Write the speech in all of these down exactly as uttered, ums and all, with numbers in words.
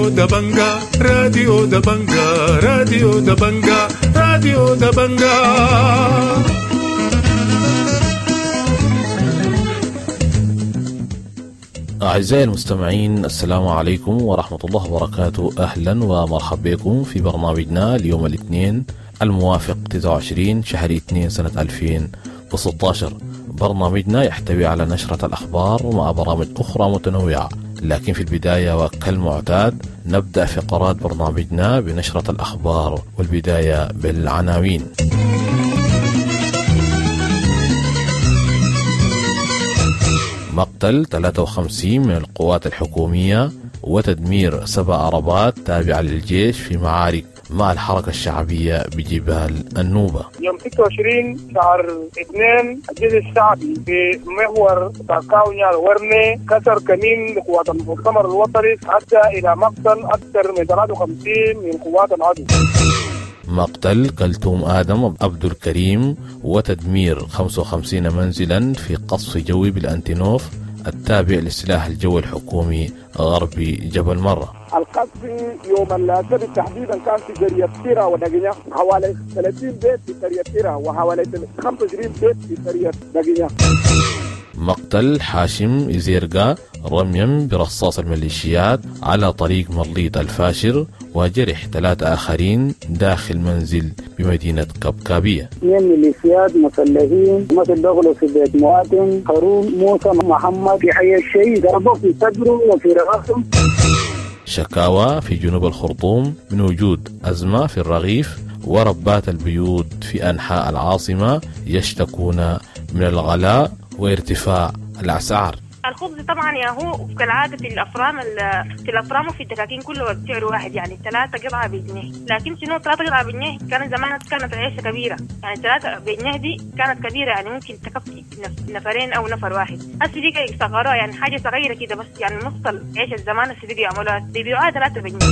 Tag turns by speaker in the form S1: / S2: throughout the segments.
S1: راديو دبنجا راديو دبنجا راديو دبنجا راديو دبنجا.
S2: أعزائي المستمعين، السلام عليكم ورحمة الله وبركاته. أهلا ومرحبا بكم في برنامجنا اليوم الاثنين الموافق تسعة وعشرين شهر اثنين سنة ألفين وستة عشر. برنامجنا يحتوي على نشرة الأخبار ومع برامج أخرى متنوعة، لكن في البداية وكالمعتاد نبدأ فقرات برنامجنا بنشرة الأخبار، والبداية بالعناوين. مقتل ثلاثة وخمسين من القوات الحكومية وتدمير سبع عربات تابعة للجيش في معارك مع الحركة الشعبية بجبال النوبة.
S3: يوم ستة وعشرين شهر اثنين الجيش الشعبي في محور تاكاونيا الورني كسر كمين لقوات المؤتمر الوطني أدى إلى مقتل أكثر من ثلاثة وخمسين من قوات العدو.
S2: مقتل كلثوم آدم عبد الكريم وتدمير خمسة وخمسين منزلا في قصف جوي بالأنتينوف التابع للسلاح الجوي الحكومي غربي جبل مرة.
S4: القصف يوم السبت تحديدا كان في قرية تيرا ودقينة، حوالي ثلاثين بيت في قرية تيرا وحوالي خمسة وعشرين بيت في قرية دقينة.
S2: مقتل حاشم إزيرقا رميا برصاص الميليشيات على طريق مرليط الفاشر وجرح ثلاثة آخرين داخل منزل بمدينة كبكابية.
S5: اثنين ميليشيات مسلحين مثل دخلوا في بيت مواطن هارون موسى محمد في حي الشيء، ضربوا في صدره وفي رأسه.
S2: شكاوى في جنوب الخرطوم من وجود أزمة في الرغيف، وربات البيوت في أنحاء العاصمة يشتكون من الغلاء وارتفاع الأسعار.
S6: الخبز طبعا يا هو كالعادة في الأفرام في الأفرام وفي الدكاكين كله بسعر واحد، يعني ثلاثة قطعة بجنيه. لكن شنو ثلاثة قطعة بجنيه كان زمان كانت عيشة كبيرة، يعني ثلاثة بجنيه دي كانت كبيرة، يعني ممكن تكفي نفرين أو نفر واحد. هسه دي صغيرة، يعني حاجة صغيرة كده بس، يعني نص العيشة الزمان هسه دي يعملوها بيبيعوها ثلاثة بجنيه.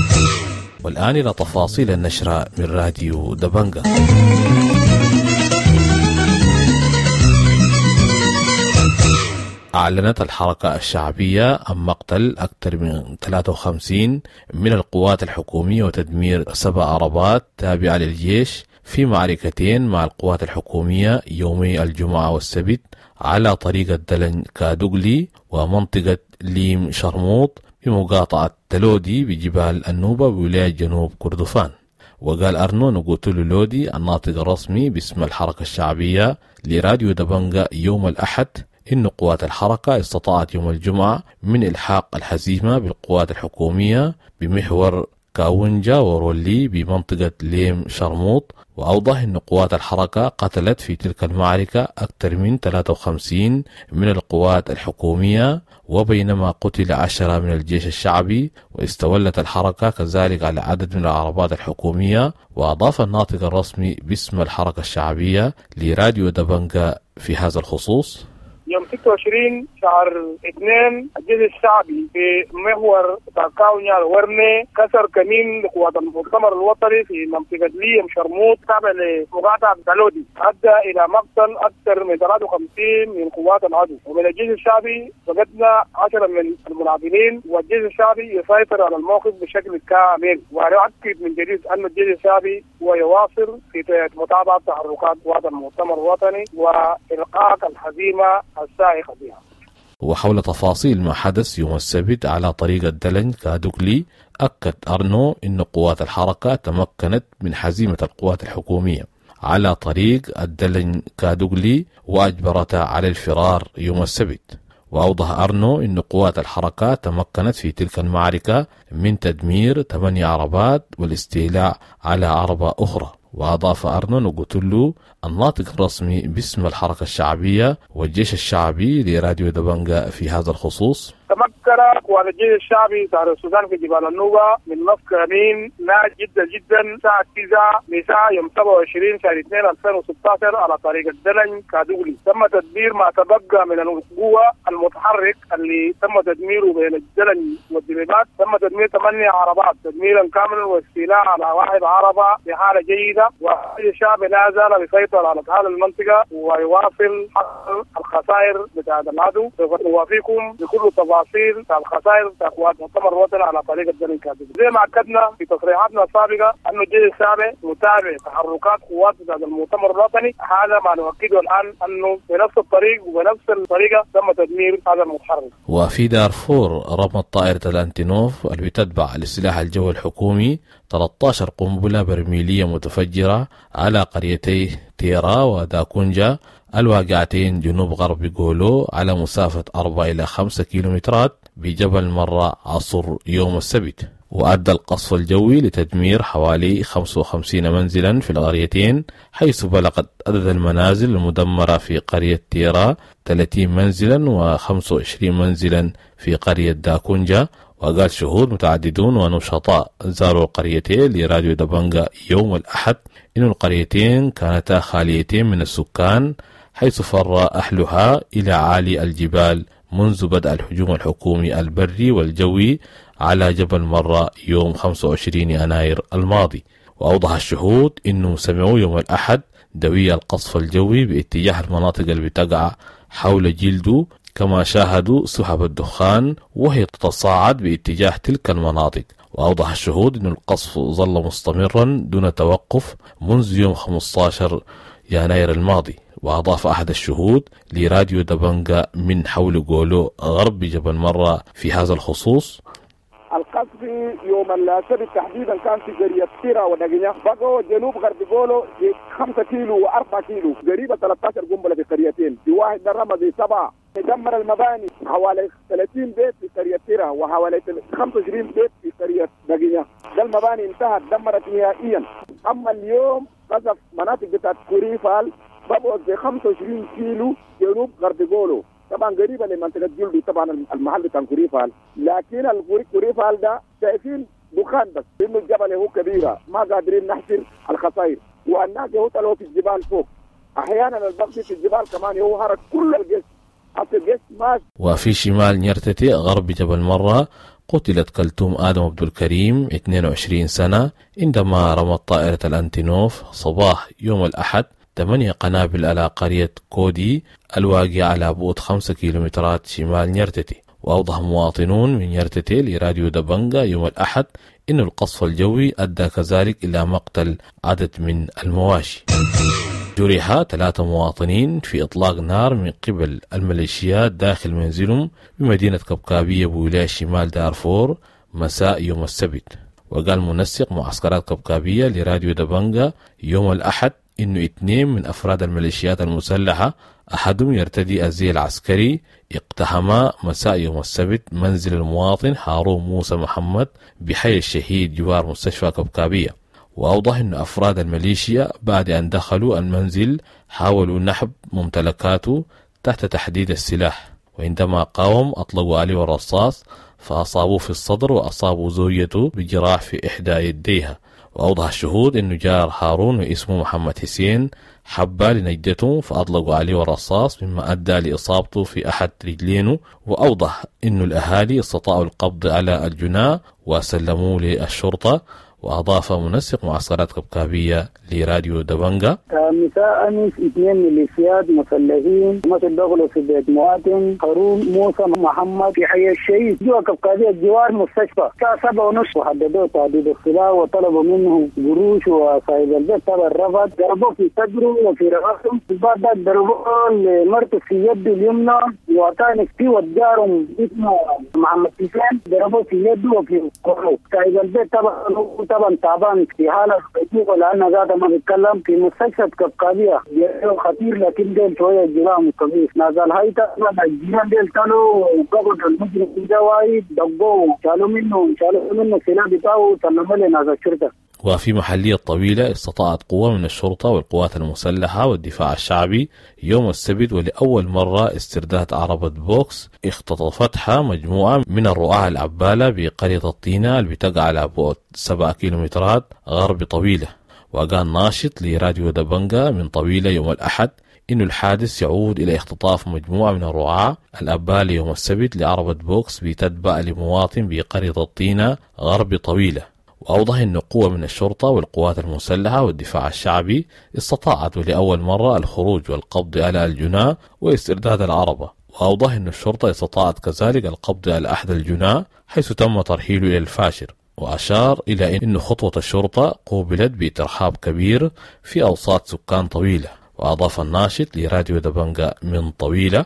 S2: والآن إلى تفاصيل النشرة من راديو دبنجا. أعلنت الحركة الشعبية عن مقتل أكثر من ثلاثة وخمسين من القوات الحكومية وتدمير سبع عربات تابعة للجيش في معركتين مع القوات الحكومية يومي الجمعة والسبت على طريق الدلن كادوغلي ومنطقة ليم شرموط بمقاطعة تلودي بجبال النوبة بولاية جنوب كردفان. وقال أرنو نقوتولو لودي الناطق الرسمي باسم الحركة الشعبية لراديو دبنجا يوم الأحد إن قوات الحركة استطاعت يوم الجمعة من إلحاق الهزيمة بالقوات الحكومية بمحور كاونجا ورولي بمنطقة ليم شرموط. وأوضح أن قوات الحركة قتلت في تلك المعركة أكثر من ثلاثة وخمسين من القوات الحكومية، وبينما قتل عشرة من الجيش الشعبي. واستولت الحركة كذلك على عدد من العربات الحكومية. وأضاف الناطق الرسمي باسم الحركة الشعبية لراديو دبنجا في هذا الخصوص:
S3: يوم ستة وعشرين شهر اثنين الجيش الشعبي في محور تاكاونيا الورني كسر كمين لقوات المؤتمر الوطني في منطقة ليم شرموط تابع لمقاطعة تلودي أدى إلى مقتل أكثر من ثلاثة وخمسين من قوات العدو، ومن الجيش الشعبي فقدنا عشرة من المناضلين، والجيش الشعبي يسيطر على الموقف بشكل كامل. ونؤكد من جديد أن الجيش الشعبي هو يواصل في متابعة تحركات قوات المؤتمر الوطني وإلقاء الهزيمة السائقة بها.
S2: وحول تفاصيل ما حدث يوم السبت على طريق الدلن كادوغلي، أكد أرنو أن قوات الحركة تمكنت من هزيمة القوات الحكومية على طريق الدلن كادوغلي وأجبرتها على الفرار يوم السبت. وأوضح أرنو أن قوات الحركة تمكنت في تلك المعركة من تدمير ثمانية عربات والاستيلاء على عربة أخرى. وأضاف أرنو نقوتولو الناطق الرسمي باسم الحركة الشعبية والجيش الشعبي لراديو دبنجا في هذا الخصوص:
S3: تمكن قوات الجيش الشعبي شهر السودان في جبال النوبة من نصف كمين ناجح جدا جدا الساعة تسعة مساء يوم سبعة وعشرين شهر اثنين ألفين وستة عشر على طريق الدلن كادوغلي. تم تدمير ما تبقى من القوة المتحرك اللي تم تدميره بين الدلن والدبابات. تم تدمير ثمانية عربات تدميرا كاملا واستيلاء على واحد عربة بحالة جيدة، والجيش الشعبي لا زال بيسيطر يسيطر على أهل المنطقة ويواصل حصر الخسائر بتاعة العدو. سوف نوافيكم بكل التفاصيل بتاع الخسائر بتاع قوات المؤتمر الوطني على طريق الدرب الكاتب. زي ما أكدنا في تصريحاتنا السابقة أنه الجيش السابع متابع تحركات قوات بتاعة المؤتمر الوطني، هذا ما نؤكده الآن أنه بنفس الطريق وبنفس الطريقة تم تدمير هذا المتحرك.
S2: وفي دارفور رمت طائرة الأنتينوف اللي بتتبع للسلاح الجوي الحكومي ثلاثة عشر قنبلة برميلية متفجرة على قريتي تيرا وداكونجا الواقعتين جنوب غرب جولو على مسافة أربعة إلى خمسة كيلومترات بجبل مرة عصر يوم السبت. وأدى القصف الجوي لتدمير حوالي خمسة وخمسين منزلا في القريتين، حيث بلغت عدد المنازل المدمرة في قرية تيرا ثلاثين منزلا وخمسة وعشرين منزلا في قرية داكونجا. وقال شهود متعددون ونشطاء زاروا القريتين لراديو دبنجا يوم الأحد إن القريتين كانتا خاليتين من السكان، حيث فر أهلها إلى عالي الجبال منذ بدء الهجوم الحكومي البري والجوي على جبل مرة يوم خمسة وعشرين يناير الماضي. وأوضح الشهود أنه سمعوا يوم الأحد دوي القصف الجوي باتجاه المناطق اللي بتقع حول جلدو، كما شاهدوا سحب الدخان وهي تتصاعد باتجاه تلك المناطق. وأوضح الشهود أن القصف ظل مستمرا دون توقف منذ يوم خمسة عشر يناير الماضي. وأضاف أحد الشهود لراديو دبنجا من حول جولو غرب جبل مرة في هذا الخصوص:
S4: القصف يوم السبت تحديدا كان في قرية تيرا ودقينيا، بقوا جنوب غرب جولو خمسة كيلو وأربعة كيلو، قريبة ثلاثة عشر قنبلة في قريتين، في واحد رمى سبعة، دمر المباني حوالي ثلاثين بيت في قرية تيرا وحوالي خمسة وعشرين بيت في قرية دقينيا. ده المباني انتهت دمرت نهائيا. أما اليوم قصف مناطق بتاعت كوريفال بقوا زي خمسة وعشرين كيلو جنوب غرب جولو، طبعا قريبه لمنطقه جلدي، طبعا المحل بتاع كوريفال، لكن الكوريفال ده شايفين دخان بس، لانه الجبل هو كبيره ما قادرين نحصر الخسائر، والناس هو طلعوا في الجبال فوق، احيانا البغض في الجبال كمان هو هرب كل الجيش، حتى الجيش ما.
S2: وفي شمال نيرتتي غرب جبل مرة قتلت كلثوم آدم عبد الكريم اثنين وعشرين سنة عندما رمت طائرة الأنتينوف صباح يوم الأحد ثمانية قنابل على قرية كودي الواقعة على بعد خمسة كيلومترات شمال نيرتتي. وأوضح مواطنون من نيرتتي لراديو دبنجا يوم الأحد إن القصف الجوي أدى كذلك إلى مقتل عدد من المواشي. جرح ثلاثة مواطنين في إطلاق نار من قبل الميليشيات داخل منزلهم بمدينة كبكابية بولاية شمال دارفور مساء يوم السبت. وقال منسق معسكرات كبكابية لراديو دبنجا يوم الأحد إنه اثنين من أفراد الميليشيات المسلحة أحدهم يرتدي الزي العسكري اقتحما مساء يوم السبت منزل المواطن هارون موسى محمد بحي الشهيد جوار مستشفى كبكابية. وأوضح أن أفراد الميليشيا بعد أن دخلوا المنزل حاولوا نحب ممتلكاته تحت تحديد السلاح، وعندما قاوم أطلقوا عليه الرصاص فأصابوه في الصدر وأصابوا زوجته بجراح في إحدى يديها. وأوضح الشهود أنه جار هارون واسمه محمد حسين حب لنجدته فأطلقوا عليه الرصاص مما أدى لإصابته في أحد رجلينه. وأوضح أن الأهالي استطاعوا القبض على الجناة وسلموه للشرطة. وأضاف منسق معسكرات كبكابية لراديو دبنجا:
S5: مساء أمس اثنين ميليشيات مسلحين مثل دخلوا في بيت مواطن هارون موسى محمد في حي الشهيد جوا كبكابية جوار مستشفى الساعة سبعة ونص، وحددوه تهديد السلاح وطلبوا منه قروش، وصاحب البيت طبعا رفض، ضربوه في صدره وفي رأسه، بعد ذلك ضربوه لمرته في يده اليمنى، وثاني في جارهم اسمه محمد حسين ضربوه في يده وفي قوله. صاحب البيت طبعا طبعا تعبان في حالة خطيرة لأنه ذاته ما بيتكلم، في مستشفى كبكابية خطير، لكن ديل شوية جرام كبير نزل هاي طبعا الجيران ديل كانوا قبضوا المجرم ده وايد دقوه شالوا منه شالوا منه السلاح بتاعه وسلموا لناس الشرطة.
S2: وفي محلية طويلة استطاعت قوة من الشرطة والقوات المسلحة والدفاع الشعبي يوم السبت ولأول مرة استرداد عربة بوكس اختطفتها مجموعة من الرعاة العبالة بقرية الطينة اللي بتقع على بعد سبعة كيلومترات غرب طويلة. وقال ناشط لراديو دبنجا من طويلة يوم الأحد إن الحادث يعود إلى اختطاف مجموعة من الرعاة الأبالة يوم السبت لعربة بوكس بتتبع لمواطن بقرية الطينة غرب طويلة. وأوضح أن قوة من الشرطة والقوات المسلحة والدفاع الشعبي استطاعت لأول مرة الخروج والقبض على الجناة واسترداد العربة. وأوضح أن الشرطة استطاعت كذلك القبض على أحد الجناة حيث تم ترحيله إلى الفاشر. وأشار إلى أن خطوة الشرطة قوبلت بترحاب كبير في أوساط سكان طويلة. وأضاف الناشط لراديو دبنجا من طويلة: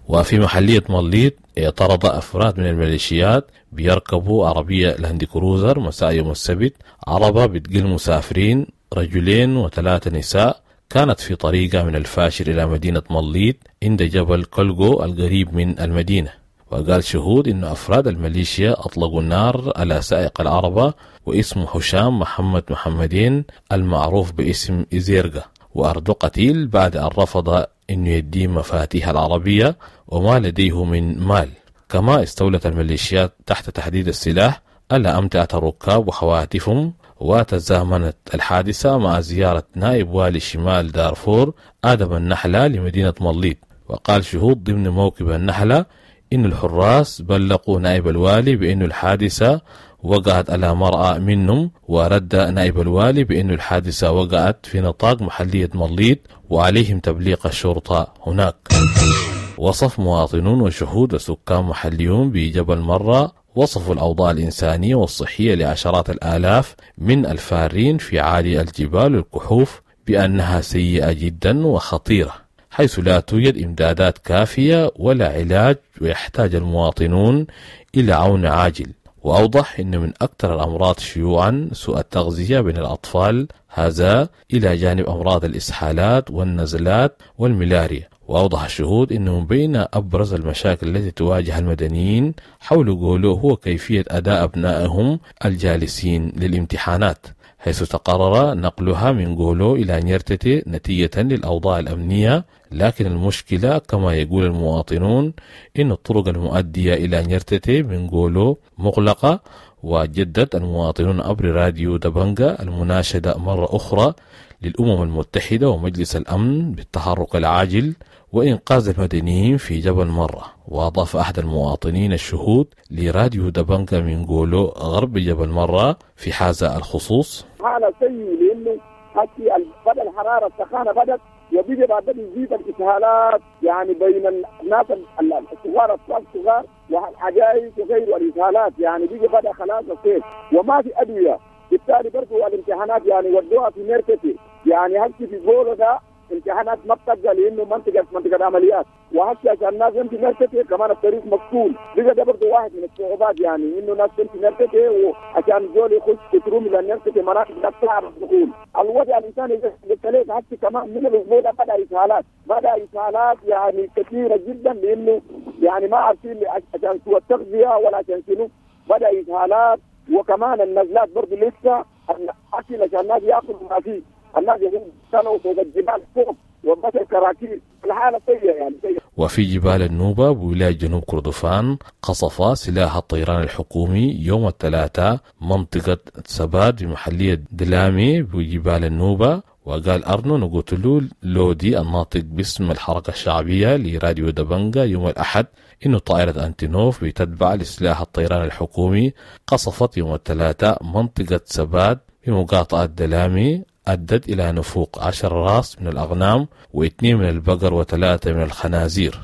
S2: وفي محلية مليط اعترض أفراد من الميليشيات بيركبوا عربية لاند كروزر مساء يوم السبت عربة بتقل مسافرين رجلين وثلاثة نساء كانت في طريقة من الفاشر إلى مدينة مليط عند جبل كلغو القريب من المدينة. وقال شهود إن أفراد الميليشيا أطلقوا النار على سائق العربة واسمه هشام محمد محمدين المعروف باسم إزيرغا، وأرض قتيل بعد أن رفض إنه يديه مفاتيح العربية وما لديه من مال. كما استولت الميليشيات تحت تحديد السلاح على أمتعة الركاب وهواتفهم. وتزامنت الحادثة مع زيارة نائب والي شمال دارفور آدم النحلة لمدينة مليط. وقال شهود ضمن موكب النحلة إن الحراس بلغوا نائب الوالي بأن الحادثة وقعت على مرأى منهم، ورد نائب الوالي بأن الحادثة وقعت في نطاق محلية مليط وعليهم تبليغ الشرطة هناك. وصف مواطنون وشهود وسكان محليون بجبل مرة وصفوا الأوضاع الإنسانية والصحية لعشرات الآلاف من الفارين في عالي الجبال والكحوف بأنها سيئة جدا وخطيرة، حيث لا توجد إمدادات كافية ولا علاج، ويحتاج المواطنون إلى عون عاجل. وأوضح أن من أكثر الأمراض شيوعا سوء التغذية بين الأطفال، هذا إلى جانب أمراض الإسهالات والنزلات والملاريا. وأوضح الشهود أنه من بين أبرز المشاكل التي تواجه المدنيين حول جولو هو كيفية أداء أبنائهم الجالسين للامتحانات، حيث تقرر نقلها من جولو إلى نيرتتي نتيجة للأوضاع الأمنية. لكن المشكلة كما يقول المواطنون إن الطرق المؤدية إلى نيرتتي من جولو مغلقة. وجدد المواطنون عبر راديو دبنجا المناشدة مرة أخرى للأمم المتحدة ومجلس الأمن بالتحرك العاجل وإنقاذ المدنيين في جبل مرة. وأضاف أحد المواطنين الشهود لراديو دبنجا من جولو غرب جبل مرة في هذا الخصوص:
S4: حالة سيء لأنه حتى بدأ الحرارة السخانة بدأت وبيجي بعد يزيد الإسهالات، يعني بين الناس الصغار الأطفال الصغار والعجائز وغيره الإسهالات، يعني بيجي بدأ خلاص الصيف وما في أدوية، بالتالي برضه الامتحانات يعني ودوها في نيرتتي، يعني هسه في جولو ده امتحانات ما بتبقى لانه منطقه منطقه عمليات، وهسه عشان الناس تمشي نيرتتي كمان الطريق مقفول، بقى ده برضه واحد من الصعوبات، يعني انه ناس تمشي نيرتتي وعشان زول يخش تروم الى نيرتتي مناطق ده صعب الدخول. الوضع الانساني قلت لك هسه كمان من الاسبوع ده بدا اسهالات، بدا اسهالات يعني كثيره جدا، لانه يعني ما عارفين عشان سوى التغذيه ولا عشان شنو، بدا اسهالات وكمان النزلات برضه لسه الاكل عشان الناس ياكلوا ما فيه، الناس يكونوا فوق الجبال فوق وبس الكراكيب، الحالة سيئة يعني سيئة.
S2: وفي جبال النوبة بولاية جنوب كردفان قصف سلاح الطيران الحكومي يوم الثلاثاء منطقة سباد بمحلية دلامي بجبال النوبة. وقال أرنو نقوتلو لودي الناطق باسم الحركة الشعبية لراديو دبنجا يوم الأحد إنه طائرة أنتينوف بتتبع لسلاح الطيران الحكومي قصفت يوم الثلاثاء منطقة سباد بمقاطعة دلامي، أدت إلى نفوق عشر راس من الأغنام واثنين من البقر وثلاثة من الخنازير.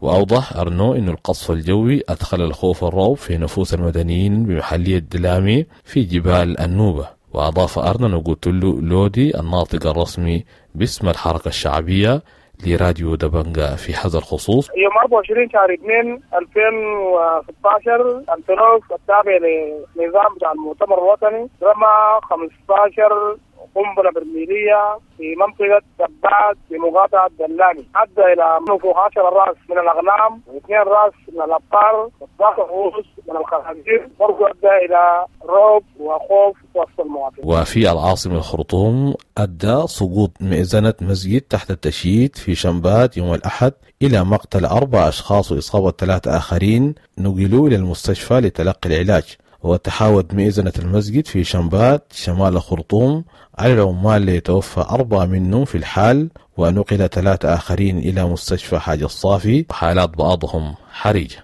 S2: وأوضح أرنو أن القصف الجوي أدخل الخوف والرعب في نفوس المدنيين بمحلية دلامي في جبال النوبة. وأضاف أرنو نقوتلو لودي الناطق الرسمي باسم الحركة الشعبية لراديو دبنجا في هذا الخصوص:
S3: يوم أربعة وعشرين شهر اثنين ألفين وستة عشر أنتونوف التابع لنظام بتاع المؤتمر الوطني رمى خمسة عشر قنبلة برميلية في منطقة دبات في مقاطعة دلاني، أدى إلى فوق عشرة رأس من الأغنام واثنين رأس من الأبقار واثناشر رؤوس من الخنازير، برضو أدى إلى رعب وخوف وسط المواطنين.
S2: وفي العاصمة الخرطوم أدى سقوط مئذنة مسجد تحت التشييد في شمبات يوم الأحد إلى مقتل أربع أشخاص وإصابة ثلاثة آخرين نقلوا إلى المستشفى لتلقي العلاج. وتحاوت مئذنة المسجد في شمبات شمال الخرطوم على العمال ليتوفى أربعة منهم في الحال، ونقل ثلاثة آخرين إلى مستشفى حاج الصافي، حالات بعضهم حرجة.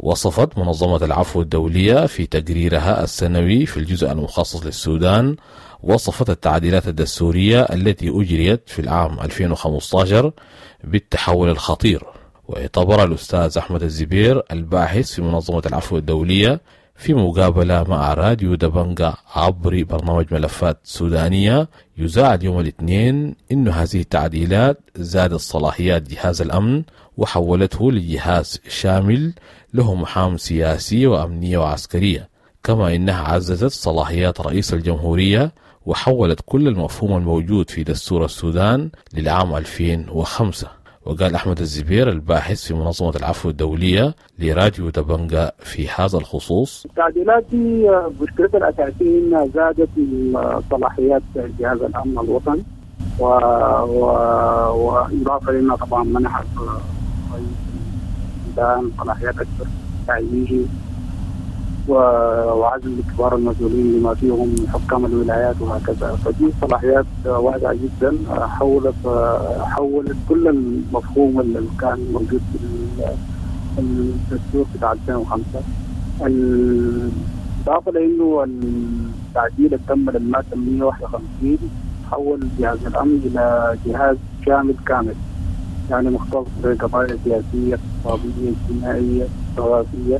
S2: وصفت منظمة العفو الدولية في تقريرها السنوي في الجزء المخصص للسودان وصفت التعديلات الدستورية التي أجريت في العام ألفين وخمسة عشر بالتحول الخطير. واعتبر الأستاذ أحمد الزبير الباحث في منظمة العفو الدولية في مقابلة مع راديو دبنجا عبر برنامج ملفات سودانية يذاع اليوم الاثنين إن هذه التعديلات زادت صلاحيات جهاز الأمن وحولته لجهاز شامل له مهام سياسية وأمنية وعسكرية، كما إنها عززت صلاحيات رئيس الجمهورية وحولت كل المفهوم الموجود في دستور السودان للعام ألفين وخمسة. وقال أحمد الزبير الباحث في منظمة العفو الدولية لراديو دبنجا في هذا الخصوص:
S5: التعديلات دي مشكلتها الأساسية إنها زادت من صلاحيات جهاز الأمن الوطني، و... و... وإضافة لأنها طبعا منحت رئيس السودان صلاحيات أكثر تعيينه وعزل كبار المسؤولين لما فيهم حكام الولايات وهكذا. فدي صلاحيات واسعة جدا حولت حولت كل المفهوم اللي كان موجود في الدستور بتاع ألفين وخمسة. الإضافة لأنه التعديل اللي تم للمادة مئة وواحد وخمسين حول جهاز الأمن إلى جهاز شامل كامل، يعني مختص بقضايا سياسية اقتصادية اجتماعية ثقافية،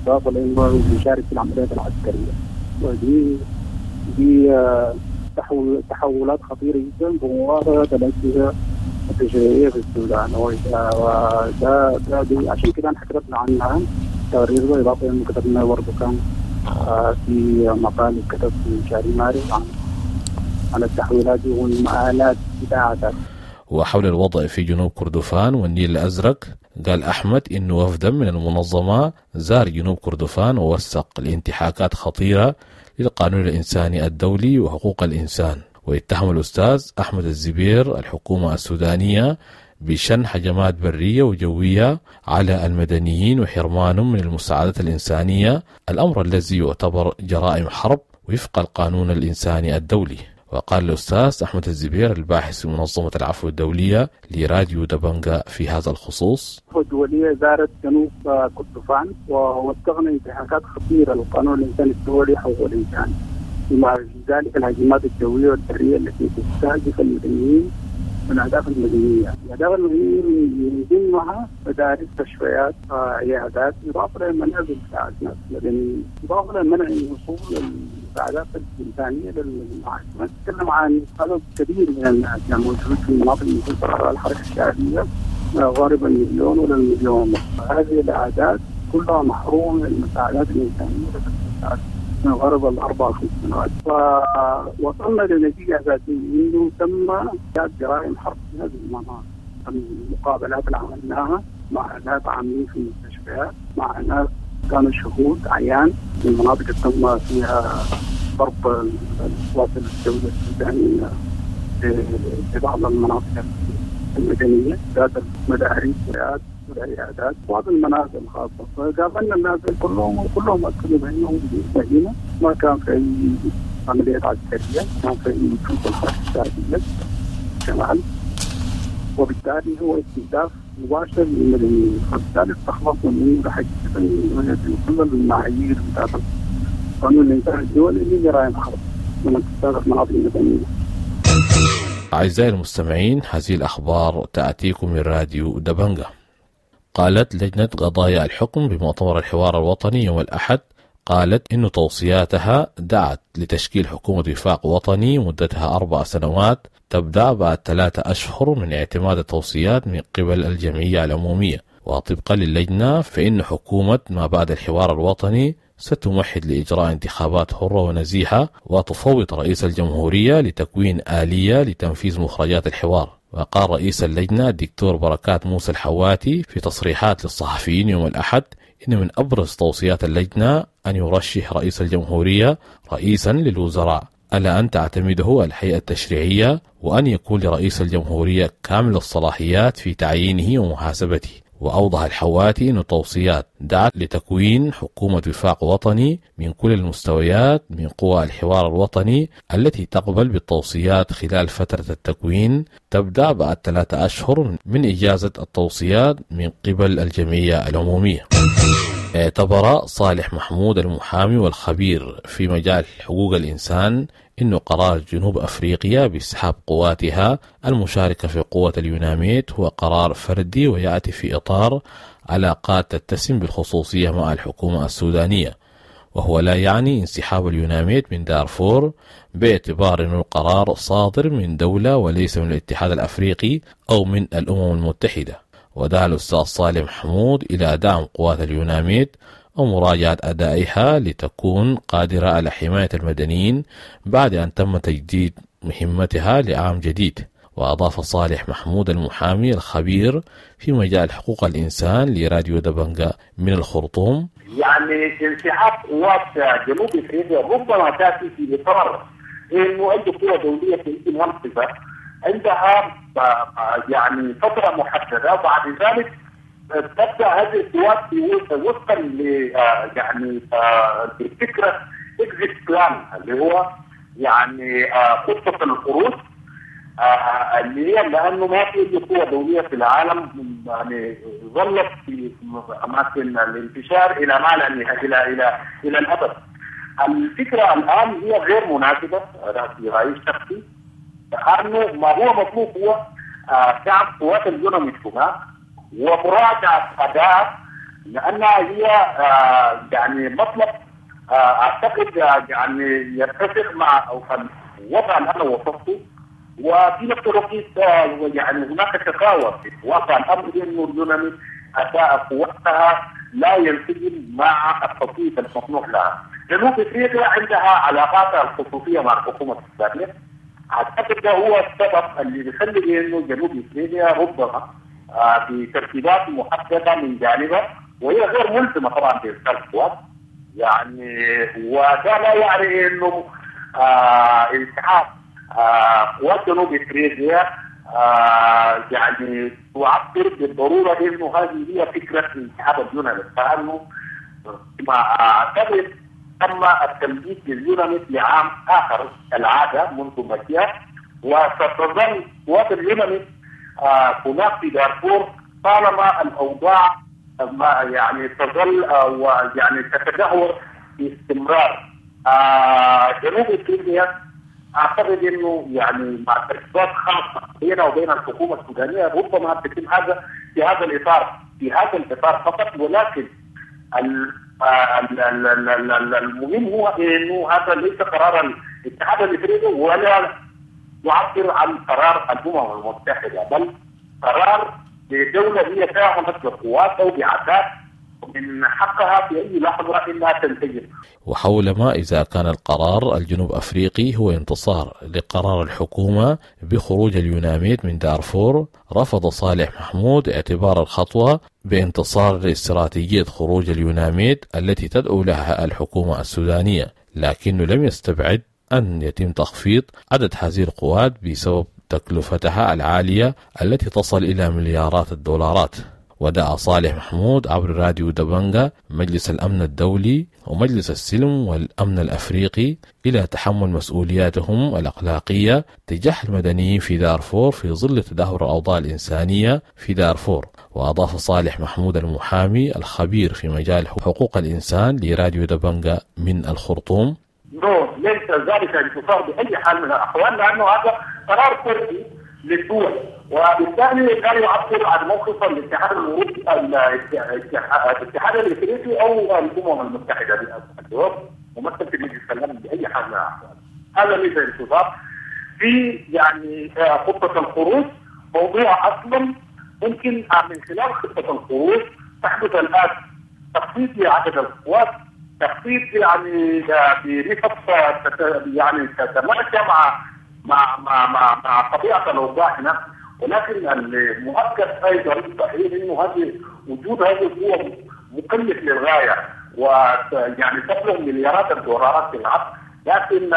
S5: إضافة لأنه بيشارك في العمليات العسكرية. ودي دي تحول تحولات خطيرة جدا بمواصلة الأجهزة التشريعية في السودان، وده ده دي عشان كده احنا كتبنا عنها تقرير ده. إضافة لأنه كتبنا برضه كان في مقال كتب في شهر مارس عن عن التحويلات والمآلات بتاعتها.
S2: وحول الوضع في جنوب كردفان والنيل الأزرق قال أحمد إنه وفدا من المنظمة زار جنوب كردفان ووثق لانتهاكات خطيرة للقانون الإنساني الدولي وحقوق الإنسان. واتهم الأستاذ أحمد الزبير الحكومة السودانية بشن هجمات برية وجوية على المدنيين وحرمانهم من المساعدات الإنسانية، الأمر الذي يعتبر جرائم حرب وفق القانون الإنساني الدولي. وقال الأستاذ أحمد الزبير الباحث في منظمة العفو الدولية لراديو دبنجا في هذا الخصوص:
S5: الدولية زارت جنوب كردفان ووثقنا انتهاكات خطيرة للقانون الإنساني الدولي حقوق الإنسان، بما في ذلك الهجمات الجوية والبرية التي تستهدف المدنيين والأهداف المدنية. الأهداف المدنية من ضمنها مدارس، مستشفيات، عيادات، إضافة للمنازل بتاعت الناس المدنيين، إضافة لمنع وصول المساعدات الإنسانية للمعاشات. نتكلم عن عدد كبير من الناس يعني موجود في المناطق المسيطرة على الحركة الشعبية غالبا مليون ولا المليون ونص. هذه الأعداد كلها محرومة من المساعدات الإنسانية من غرب الأربع خمس سنوات. فوصلنا لنتيجة أساسية إنه تم جرائم حرب في هذه المناطق. المقابلات اللي عملناها مع ناس عاملين في المستشفيات، مع ناس كانوا شهود عيان في المناطق اللي تم فيها ضرب القوات الدولية السودانية في بعض المناطق المدنية ذات المدارس والعيادات وبعض المنازل الخاصة. فقابلنا الناس كلهم وكلهم أكدوا بأنهم في المدينة ما كان في أي عمليات عسكرية، كان في أي وجود الحركة الشعبية شمال، وبالتالي هو استهداف مباشر للمدنيين. فبالتالي استخلصنا منه حقيقة كل المعايير بتاعت القانون الإنساني الدولي لجرائم حرب لما تستهدف مناطق المدنية.
S2: أعزائي المستمعين، هذه الأخبار تأتيكم من راديو دبنجا. قالت لجنة قضايا الحكم بمؤتمر الحوار الوطني يوم الأحد قالت إن توصياتها دعت لتشكيل حكومة وفاق وطني مدتها أربع سنوات تبدأ بعد ثلاثة أشهر من اعتماد التوصيات من قبل الجمعية العمومية. وطبقا للجنة فإن حكومة ما بعد الحوار الوطني ستمهد لإجراء انتخابات حرة ونزيهة وتفوض رئيس الجمهورية لتكوين آلية لتنفيذ مخرجات الحوار. وقال رئيس اللجنة الدكتور بركات موسى الحواتي في تصريحات للصحفيين يوم الأحد إن من أبرز توصيات اللجنة أن يرشح رئيس الجمهورية رئيسا للوزراء، ألا أن تعتمده الهيئة التشريعية، وأن يكون لرئيس الجمهورية كامل الصلاحيات في تعيينه ومحاسبته. وأوضح الحواتي أن التوصيات دعت لتكوين حكومة وفاق وطني من كل المستويات من قوى الحوار الوطني التي تقبل بالتوصيات خلال فترة التكوين تبدأ بعد ثلاثة أشهر من إجازة التوصيات من قبل الجمعية العمومية. اعتبر صالح محمود المحامي والخبير في مجال حقوق الإنسان إنه قرار جنوب أفريقيا باسحاب قواتها المشاركة في قوة اليوناميت هو قرار فردي ويأتي في إطار علاقات تتسم بالخصوصية مع الحكومة السودانية، وهو لا يعني انسحاب اليوناميت من دارفور باعتبار أن القرار صادر من دولة وليس من الاتحاد الأفريقي أو من الأمم المتحدة. ودعا الأستاذ صالح محمود إلى دعم قوات اليوناميت ومراجعة أدائها لتكون قادرة على حماية المدنيين بعد أن تم تجديد مهمتها لعام جديد. وأضاف صالح محمود المحامي الخبير في مجال حقوق الإنسان لراديو دبنجا من الخرطوم:
S7: يعني انسحاب قوات جنوب افريقيا ربما تأتي في إطار إنه أي قوة دولية في المنطقة عندها يعني فترة محددة، وبعد ذلك تبدأ هذه القوات وفقا ل يعني لفكرة exit plan اللي هو يعني خطة الخروج، اللي هي لأنه ما في أي قوة دولية في العالم يعني ظلت في أماكن الانتشار إلى ما لا نهاية إلى إلى إلى الأبد. الفكرة الآن هي غير مناسبة في رأيي الشخصي، لأنه ما هو مطلوب هو دعم قوات اليوناميت هناك ومراجعة أداء، لأنها هي يعني مطلب أعتقد يعني يتفق مع الوضع اللي أنا وصفته. وفي نفس الوقت يعني هناك شكاوى في واقع الأمر أنه اليوناميت أداء قوتها لا ينسجم مع التطبيق المسموح لها. جنوب افريقيا عندها علاقاتها الخصوصية مع الحكومة السودانية، أعتقد ده هو السبب اللي بيخلي إنه جنوب افريقيا ربما آه بترتيبات محددة من جانبها، وهي غير ملزمة طبعا بإرسال قوات يعني، وده لا يعني إنه آه انسحاب آه قوات جنوب افريقيا آه يعني تعبر بالضرورة إنه هذه هي فكرة انسحاب اليوناميت، لأنه ما أعتقد تم التمديد لليوناميت لعام آخر العادة منذ مجيئه، وستظل قوات اليوناميت آه هناك في دارفور طالما الأوضاع ما يعني تظل آه ويعني تتدهور باستمرار. آه جنوب افريقيا أعتقد إنه يعني مع ترتيبات خاصة بينها وبين الحكومة السودانية ربما تتم هذا في هذا الإطار في هذا الإطار فقط، ولكن المهم هو إنه هذا ليس قرار الاتحاد الافريقي ولا يعبر عن قرار الأمم المتحدة، بل قرار لدولة هي ساهمت بقوات أو بعتاد من حقها في أي لحظة إنها تنتجر.
S2: وحول ما إذا كان القرار الجنوب أفريقي هو انتصار لقرار الحكومة بخروج اليوناميت من دارفور، رفض صالح محمود اعتبار الخطوة بانتصار لاستراتيجية خروج اليوناميت التي تدعو لها الحكومة السودانية، لكنه لم يستبعد أن يتم تخفيض عدد هذه القوات بسبب تكلفتها العالية التي تصل إلى مليارات الدولارات. ودعا صالح محمود عبر راديو دبنجا مجلس الأمن الدولي ومجلس السلم والأمن الأفريقي إلى تحمل مسؤولياتهم الأخلاقية تجاه المدنيين في دارفور في ظل تدهور الأوضاع الإنسانية في دارفور. وأضاف صالح محمود المحامي الخبير في مجال حقوق الإنسان لراديو دبنجا من الخرطوم:
S7: no، ليس ذلك انتصار بأي حال من الأحوال، لأنه هذا قرار فردي للدول، وبالتالي لا يعبر عن موقف الاتحاد الاوروبي الاتحاد الافريقي او الامم المتحدة الجواب ممثل في مجلس الامن باي حال من الاحوال. هذا ليس انتصار في يعني خطه الخروج، موضوع اصلا ممكن من خلال خطه الخروج تحدث الان تخفيض لعدد القوات تخطيط يعني بنسب يعني تتماشى مع مع مع مع, مع طبيعة الاوضاع هناك. ولكن المؤكد ايضا صحيح انه هذه وجود هذه القوة مكلف للغاية، ويعني تبلغ مليارات الدولارات في العام، لكن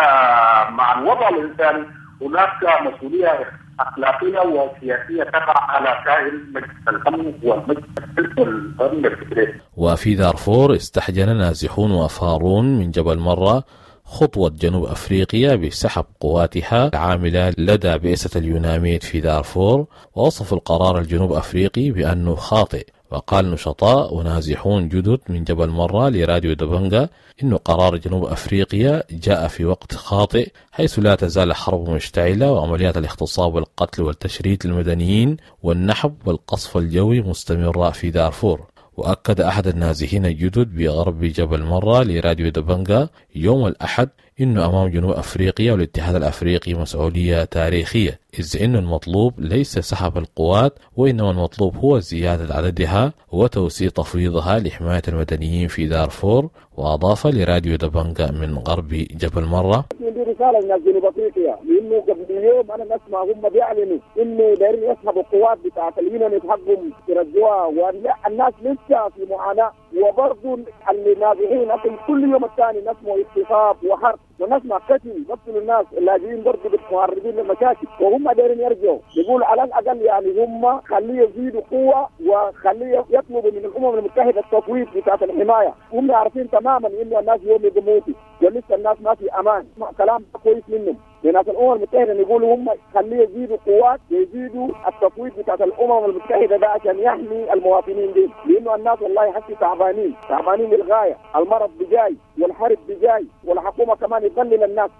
S7: مع الوضع الانساني هناك مسؤولية اخلاقية وسياسية تقع على كاهل مجلس الامن والمجلس الامن الفكري.
S2: وفي دارفور استحجن نازحون وافارون من جبل مرة خطوة جنوب أفريقيا بسحب قواتها العاملة لدى بعثة اليوناميد في دارفور، ووصف القرار الجنوب أفريقي بأنه خاطئ. وقال نشطاء ونازحون جدد من جبل مرة لراديو دبنجا إنه قرار جنوب أفريقيا جاء في وقت خاطئ، حيث لا تزال الحرب مشتعلة وعمليات الاغتصاب والقتل والتشريد للمدنيين والنحب والقصف الجوي مستمرة في دارفور. وأكد أحد النازحين الجدد بغرب جبل مرة لراديو دبنجا يوم الأحد إنه أمام جنوب أفريقيا والاتحاد الأفريقي مسؤولية تاريخية، إذ إن المطلوب ليس سحب القوات، وإنما المطلوب هو زيادة عددها وتوسيع تفويضها لحماية المدنيين في دارفور. وأضاف لراديو دبنجا من غرب جبل مرة:
S4: دي رسالة لناس جنوب أفريقيا، لأنه قبل يوم أنا نسمع هم بيعلنوا إنه دايرين يسحبوا القوات بتاعت اليونان حقهم يرجعوها، والناس لسه في معاناة، وبرضه النازحين كل يوم الثاني نسمع اغتصاب وحرب ونسمع قتل، قتلوا الناس اللاجئين برضه متعرضين للمشاكل، وهم دايرين يرجعوا. يقول على الأقل يعني هم خليه يزيدوا قوة وخليه يطلبوا من الأمم المتحدة التفويض بتاعت الحماية. هم عارفين تماما إنه الناس يوم يموتوا ولسه الناس ما في أمان. كلام كويس منهم لناس الأمم المتحدة، يقولوا هم خليه يزيدوا قوات ويزيدوا التفويض بتاعت الأمم المتحدة ده عشان يحمي المواطنين دي، لأنه الناس والله حسي تعبانين تعبانين للغاية، المرض بجاي والحرب بجاي والحكومة كمان يضلل الناس.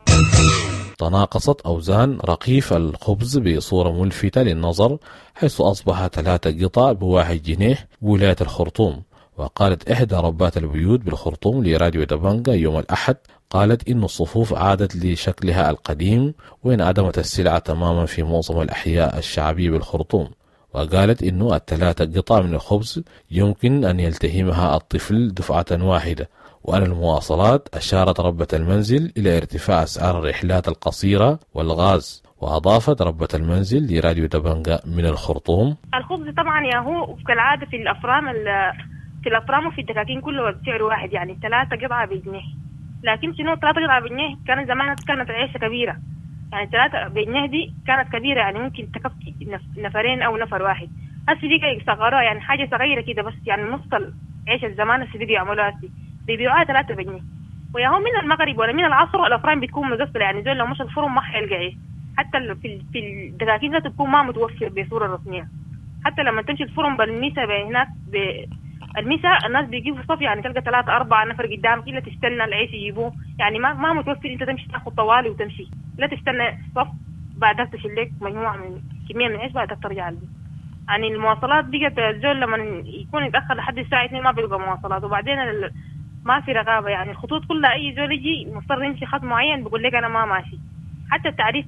S2: تناقصت أوزان رغيف الخبز بصورة ملفتة للنظر، حيث أصبح ثلاثة قطع بواحد جنيه بولاية الخرطوم. وقالت إحدى ربات البيوت بالخرطوم لراديو دبنجا يوم الأحد، قالت إن الصفوف عادت لشكلها القديم وانعدمت السلعة تماما في معظم الأحياء الشعبية بالخرطوم. وقالت إنه الثلاثة قطع من الخبز يمكن أن يلتهمها الطفل دفعة واحدة. وأن المواصلات أشارت ربة المنزل إلى ارتفاع أسعار الرحلات القصيرة والغاز. وأضافت ربة المنزل لراديو دبنجا من الخرطوم:
S6: الخبز طبعا يا هو كالعادة في الأفرام في الأفرام وفي الدكاكين كله بسعر واحد، يعني ثلاثة قطعة بجنيه. لكن شنو ثلاثة قطعة بجنيه كان زمان كانت عيشة كبيرة، يعني ثلاثة بجنيه دي كانت كبيرة، يعني ممكن تكفي نفرين أو نفر واحد. هسه دي صغروها يعني حاجة صغيرة كده بس، يعني نص العيشة الزمان هسه دي يعملوها هسه بيبيعوها ثلاثة بجنيه. ويا هو من المغرب ولا من العصر الأفران بتكون مقفلة، يعني زول لو مش الفرن ما حيلقى عيش. حتى في في الدكاكين ذاته بتكون ما متوفر بصورة رسمية. حتى لما تمشي الفرن بالميسا هناك الميسا الناس بيجيبوا صف، يعني تلقى ثلاثة أربعة نفر قدامك إلا تستنى العيش يجيبوه، يعني ما ما متوفر أنت تمشي تاخذ طوالي وتمشي، لا تستنى صف بعدها تشيل لك مجموعة من كمية من العيش بعدها ترجع البيت. يعني المواصلات بقت الزول لما يكون يتأخر لحد الساعة اثنين ما بيلقى مواصلات، وبعدين ال... ما في رقابة، يعني الخطوط كلها أي زول يجي مضطر يمشي خط معين بيقول لك أنا ما ماشي. حتى التعريف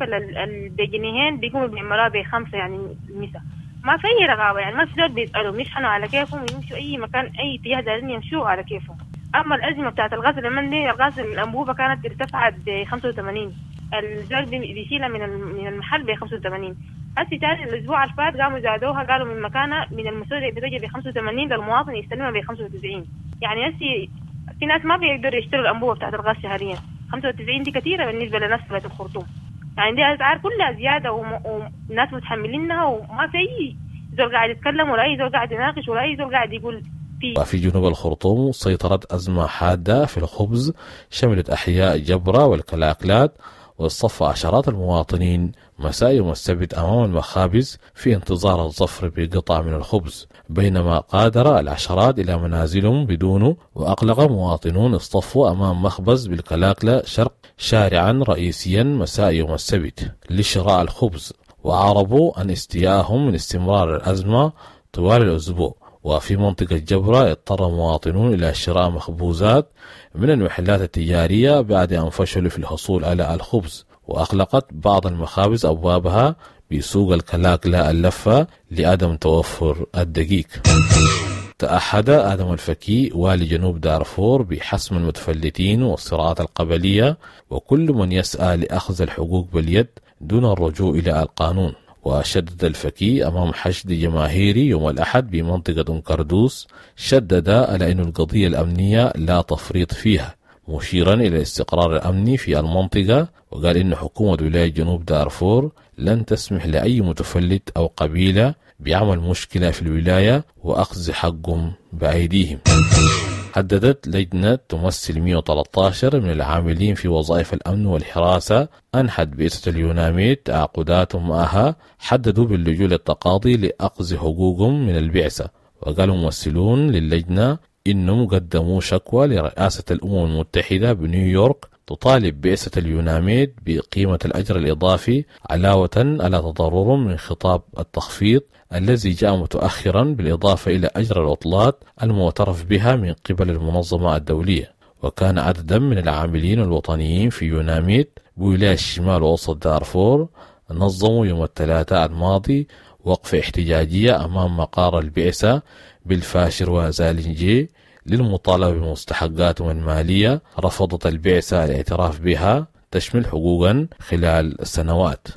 S6: بجنيهين بيقوموا بيعملوها بخمسة يعني المسا، ما في أي رقابة، يعني ما في زول بيسألهم يشحنوا على كيفهم ويمشوا أي مكان أي اتجاه دايرين يمشوا على كيفهم. أما الأزمة بتاعت الغاز لما دي الغاز الأنبوبة كانت ارتفعت ب خمسة وثمانين، الزول بيشيلها من من المحل ب خمسة وثمانين. هسي تاني الأسبوع اللي فات قاموا زادوها، قالوا من مكانها من المستودع بتجي ب خمسة وثمانين للمواطن يستلمها ب خمسة وتسعين. يعني هسي في ناس ما بيقدروا يشتروا الأنبوبة بتاعت الغاز شهريا، خمسة وتسعين دي كثيرة بالنسبة لناس في الخرطوم. يعني دي أسعار كلها زيادة وناس متحملينها، وما في أي زول قاعد يتكلم ولا أي زول قاعد يناقش ولا أي زول قاعد يقول في.
S2: وفي جنوب الخرطوم سيطرت أزمة حادة في الخبز شملت أحياء جبرة والكلاكلات، واصطف عشرات المواطنين مساء يوم السبت أمام المخابز في انتظار الظفر بقطع من الخبز، بينما قادر العشرات إلى منازلهم بدونه. وأقلق مواطنون اصطفوا أمام مخبز بالكلاكلة شرق شارعا رئيسيا مساء يوم السبت لشراء الخبز، وأعربوا عن استيائهم من استمرار الأزمة طوال الأسبوع. وفي منطقة جبرة اضطر مواطنون إلى شراء مخبوزات من المحلات التجارية بعد أن فشلوا في الحصول على الخبز. وأغلقت بعض المخابز أبوابها بسوق الكلاكلة اللفة لعدم توفر الدقيق. تعهد آدم الفكي والي جنوب دارفور بحسم المتفلتين والصراعات القبلية وكل من يسعى لأخذ الحقوق باليد دون الرجوع إلى القانون. وشدد الفكي أمام حشد جماهيري يوم الأحد بمنطقة أم كردوس، شدد على أن القضية الأمنية لا تفريط فيها، مشيرا إلى الاستقرار الأمني في المنطقة، وقال إن حكومة ولاية جنوب دارفور لن تسمح لأي متفلت أو قبيلة بعمل مشكلة في الولاية وأخذ حقهم بأيديهم. حددت لجنة تمثل مئة وثلاثة عشر من العاملين في وظائف الأمن والحراسة أنحت بعثة اليوناميد تعاقداتهم معها، حددوا باللجوء للتقاضي لأخذ حقوقهم من البعثة. وقالوا ممثلون للجنة إنهم قدموا شكوى لرئاسة الأمم المتحدة بنيويورك تطالب بعثة اليوناميد بقيمة الأجر الإضافي علاوة على تضررهم من خطاب التخفيض الذي جاء متأخرا، بالإضافة إلى أجر العطلات المعترف بها من قبل المنظمة الدولية. وكان عددا من العاملين الوطنيين في يوناميد بولاية الشمال ووسط دارفور نظموا يوم الثلاثاء الماضي وقفة احتجاجية أمام مقار البعثة بالفاشر وزالنجي للمطالبة بمستحقاتهم المالية رفضت البعثة الاعتراف بها تشمل حقوقا خلال سنوات.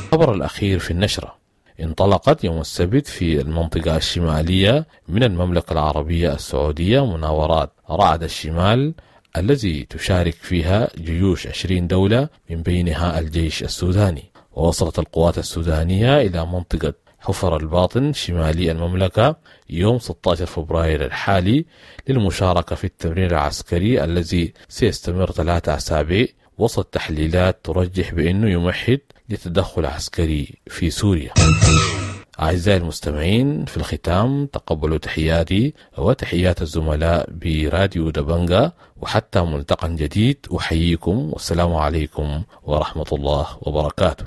S2: الخبر الأخير في النشرة: انطلقت يوم السبت في المنطقة الشمالية من المملكة العربية السعودية مناورات رعد الشمال الذي تشارك فيها جيوش عشرين دولة من بينها الجيش السوداني. ووصلت القوات السودانية إلى منطقة حفر الباطن شمالي المملكة يوم ستة عشر فبراير الحالي للمشاركة في التمرين العسكري الذي سيستمر ثلاثة أسابيع، وسط تحليلات ترجح بأنه يمهد لتدخل عسكري في سوريا. أعزائي المستمعين، في الختام تقبلوا تحياتي وتحيات الزملاء براديو دبنجا، وحتى ملتقى جديد أحييكم والسلام عليكم ورحمة الله وبركاته.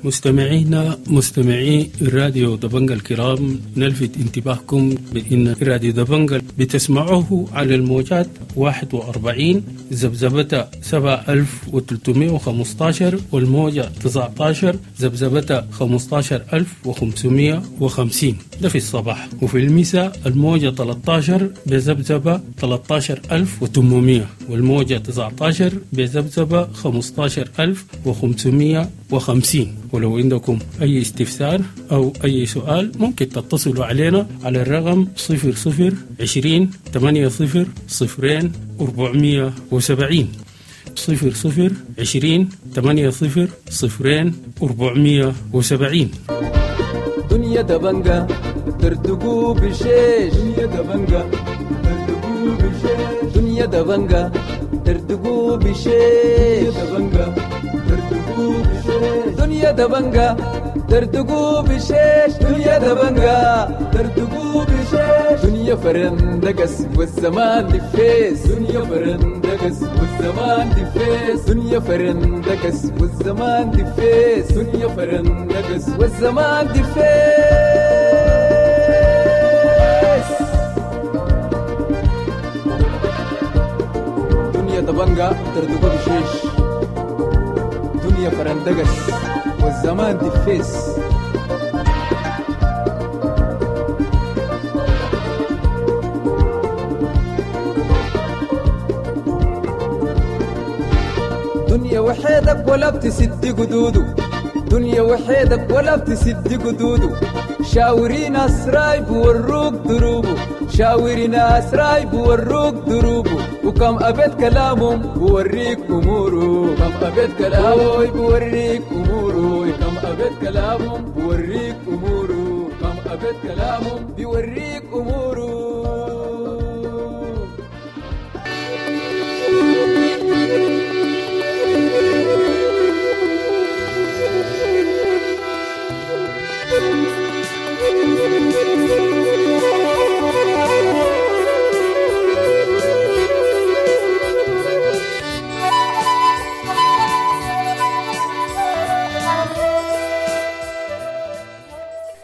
S8: مستمعينا مستمعي راديو دبنجا الكرام، نلفت انتباهكم بأن راديو دبنجا بتسمعوه على الموجات واحد وأربعين ذبذبة سبعة ألف وثلاثمائة وخمسة عشر والموجة تسعة عشر ذبذبة خمسة عشر ألف وخمسمائة وخمسين، ده في الصباح، وفي المساء الموجة ثلاثة عشر بذبذبة ثلاثة عشر ألف وثمانمائة والموجة تسعة عشر بذبذبة خمسة عشر ألف وخمسمائة وخمسين. ولو عندكم أي استفسار أو أي سؤال ممكن تتصلوا علينا على الرقم صفر صفر عشرين ثمانية صفر صفرين أربعمية وسبعين، صفر صفر عشرين ثمانية صفر صفرين أربعمية وسبعين.
S9: دنيا دبنجا ترتقو بشيش، دنيا دبنجا ترتقو بشيش، دنيا دبنجا ترتقو بشيش، دبنجا ترتقو بشيش، دنيا دبنجا ترتقو بشيش، دنيا دبنجا ترتقو بشيش، دنيا فرندقس والزمان دفيس، دنيا فرندقس والزمان دفيس، دنيا فرندقس والزمان دفيس، دنيا فرندقس والزمان دفيس. دنيا دبنجا ترتقو بشيش، دنيا فرندقس والزمان دفيس. دنيا وحيدك ولا بتسد قدوده، دنيا وحيدك ولا بتسد قدوده، شاوري ناس رايب وروك دروبه، شاوري ناس رايب وروك دروبه، وكم أبيت كلامهم بوريك أموره، كم أبيت كلامهم بوريك أموره، كم أبيت كلامهم بوريك أموره، كم أبيت كلامهم بوريك أموره.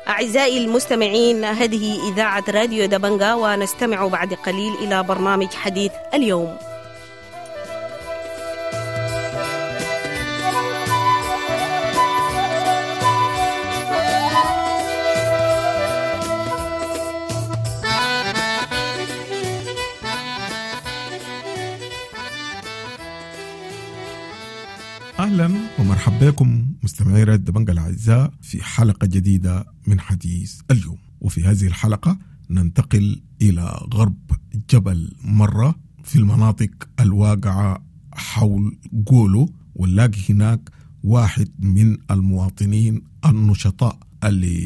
S10: أعزائي المستمعين، هذه إذاعة راديو دبنجا، ونستمع بعد قليل إلى برنامج حديث اليوم.
S1: أهلا ومرحبا بكم مستمعي راديو دبنجا الأعزاء في حلقة جديدة من حديث اليوم. وفي هذه الحلقة ننتقل إلى غرب جبل مرة في المناطق الواقعة حول جولو، ونلاقي هناك واحد من المواطنين النشطاء اللي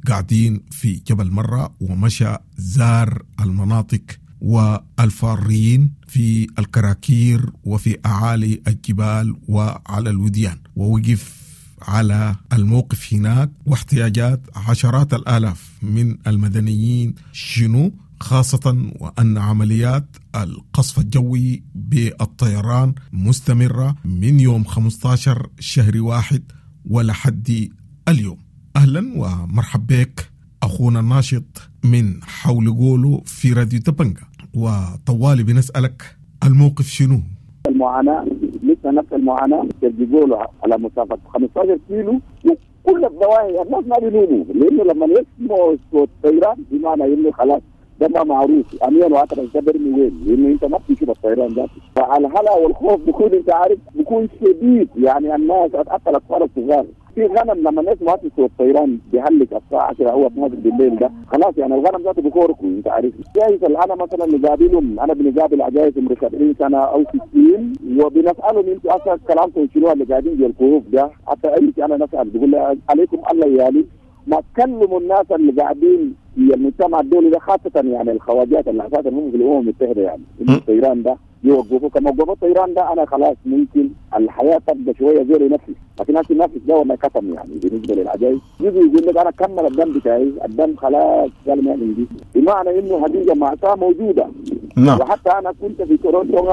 S1: قاعدين في جبل مرة ومشى زار المناطق والفارين في الكراكير وفي أعالي الجبال وعلى الوديان، ووقف على الموقف هناك واحتياجات عشرات الآلاف من المدنيين شنو، خاصة وأن عمليات القصف الجوي بالطيران مستمرة من يوم خمسة عشر شهر واحد ولحد اليوم. أهلا ومرحبا بك أخونا الناشط من حول جولو في راديو دبنجا، وطوالي بنسألك الموقف شنو؟
S4: المعاناة لسه نفس المعاناة جولو على مسافة خمسة عشر كيلو وكل الضواحي الناس ما بينوموا، لأنه لما يسمعوا صوت طيران بمعنى إنه خلاص ده ما معروف امين وعطر ده برمي وين، لانه انت ما بتشوف الطيران ده. فالهلع والخوف بيكون انت عارف بيكون شديد، يعني الناس حتى الاطفال الصغار في غنم لما الناس ما تشوف الطيران بيهلك الساعة عشرة او اتناشر بالليل ده خلاص، يعني الغنم ذاته بيكوركوا انت عارف. جايز انا مثلا نقابلهم، انا بنقابل عجايز عمر سبعين سنة او ستين وبنسالهم انتوا اصلا كلامكم شنو اللي قاعدين جوا الكهوف ده، حتى اي شيء انا نسال بقول عليكم الله يالي ما تكلموا الناس اللي قاعدين في المجتمع الدولي ده، خاصة يعني الخواجات اللي اساسا هم في الأمم المتحدة، يعني الطيران ده يوقفوا كما وقفوا الطيران ده أنا خلاص ممكن الحياة تبقى شوية زي نفسي، لكن هسه النفس ده وما كتم يعني بالنسبة للعجائز يجي يقول لك أنا كمل الدم بتاعي، الدم خلاص قال ما عندي، بمعنى إنه هذه مأساة موجودة. نعم. وحتى أنا كنت في تورونتو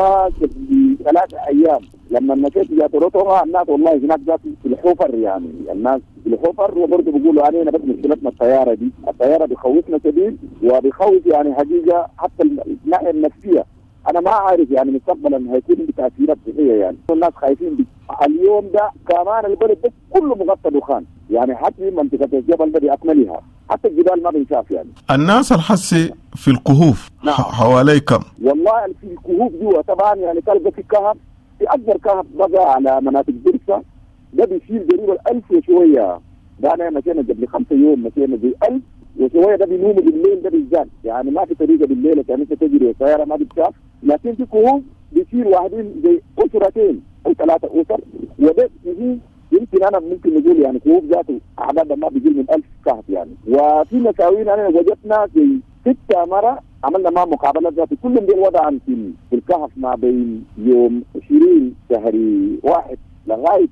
S4: في ثلاث أيام، لما مشيت إلى تورونتو الناس والله هناك ذات في الحفر، يعني الناس في الحفر وبرضه بيقولوا علينا بس مشكلتنا الطيارة دي، الطيارة بيخوفنا شديد وبيخوف يعني حقيقة حتى الناحية النفسية. أنا ما عارف يعني مستقبلا هيكون بتأثيرات صحية، يعني الناس خايفين بي. اليوم ده كمان البلد ده كله مغطى دخان، يعني حتى منطقة الجبل ده بأكملها حتى الجبال ما بنشاف. يعني
S1: الناس الحسي في الكهوف. نعم. حوالي كم؟
S4: والله في الكهوف جوا طبعا يعني تلقى في كهف، في أكبر كهف بقى على مناطق درسة ده بيشيل قريب الألف وشوية، ده أنا مشينا قبل خمسة يوم مشينا زي ألف وشوية، ده بينوموا بالليل ده بالذات، يعني ما في طريقة بالليل عشان أنت تجري السيارة ما بتشاف، لكن في كهوف بيشيل واحدين زي أسرتين أو ثلاثة أسر، وده يمكن أنا ممكن نقول يعني كهوف ذاته أعدادها ما بيجي من ألف كهف يعني. وفي مساوين أنا وجدنا زي ستة مرة عملنا معهم مقابلات ذاتي كلهم دي الوضع في الكهف ما بين يوم عشرين شهر واحد لغاية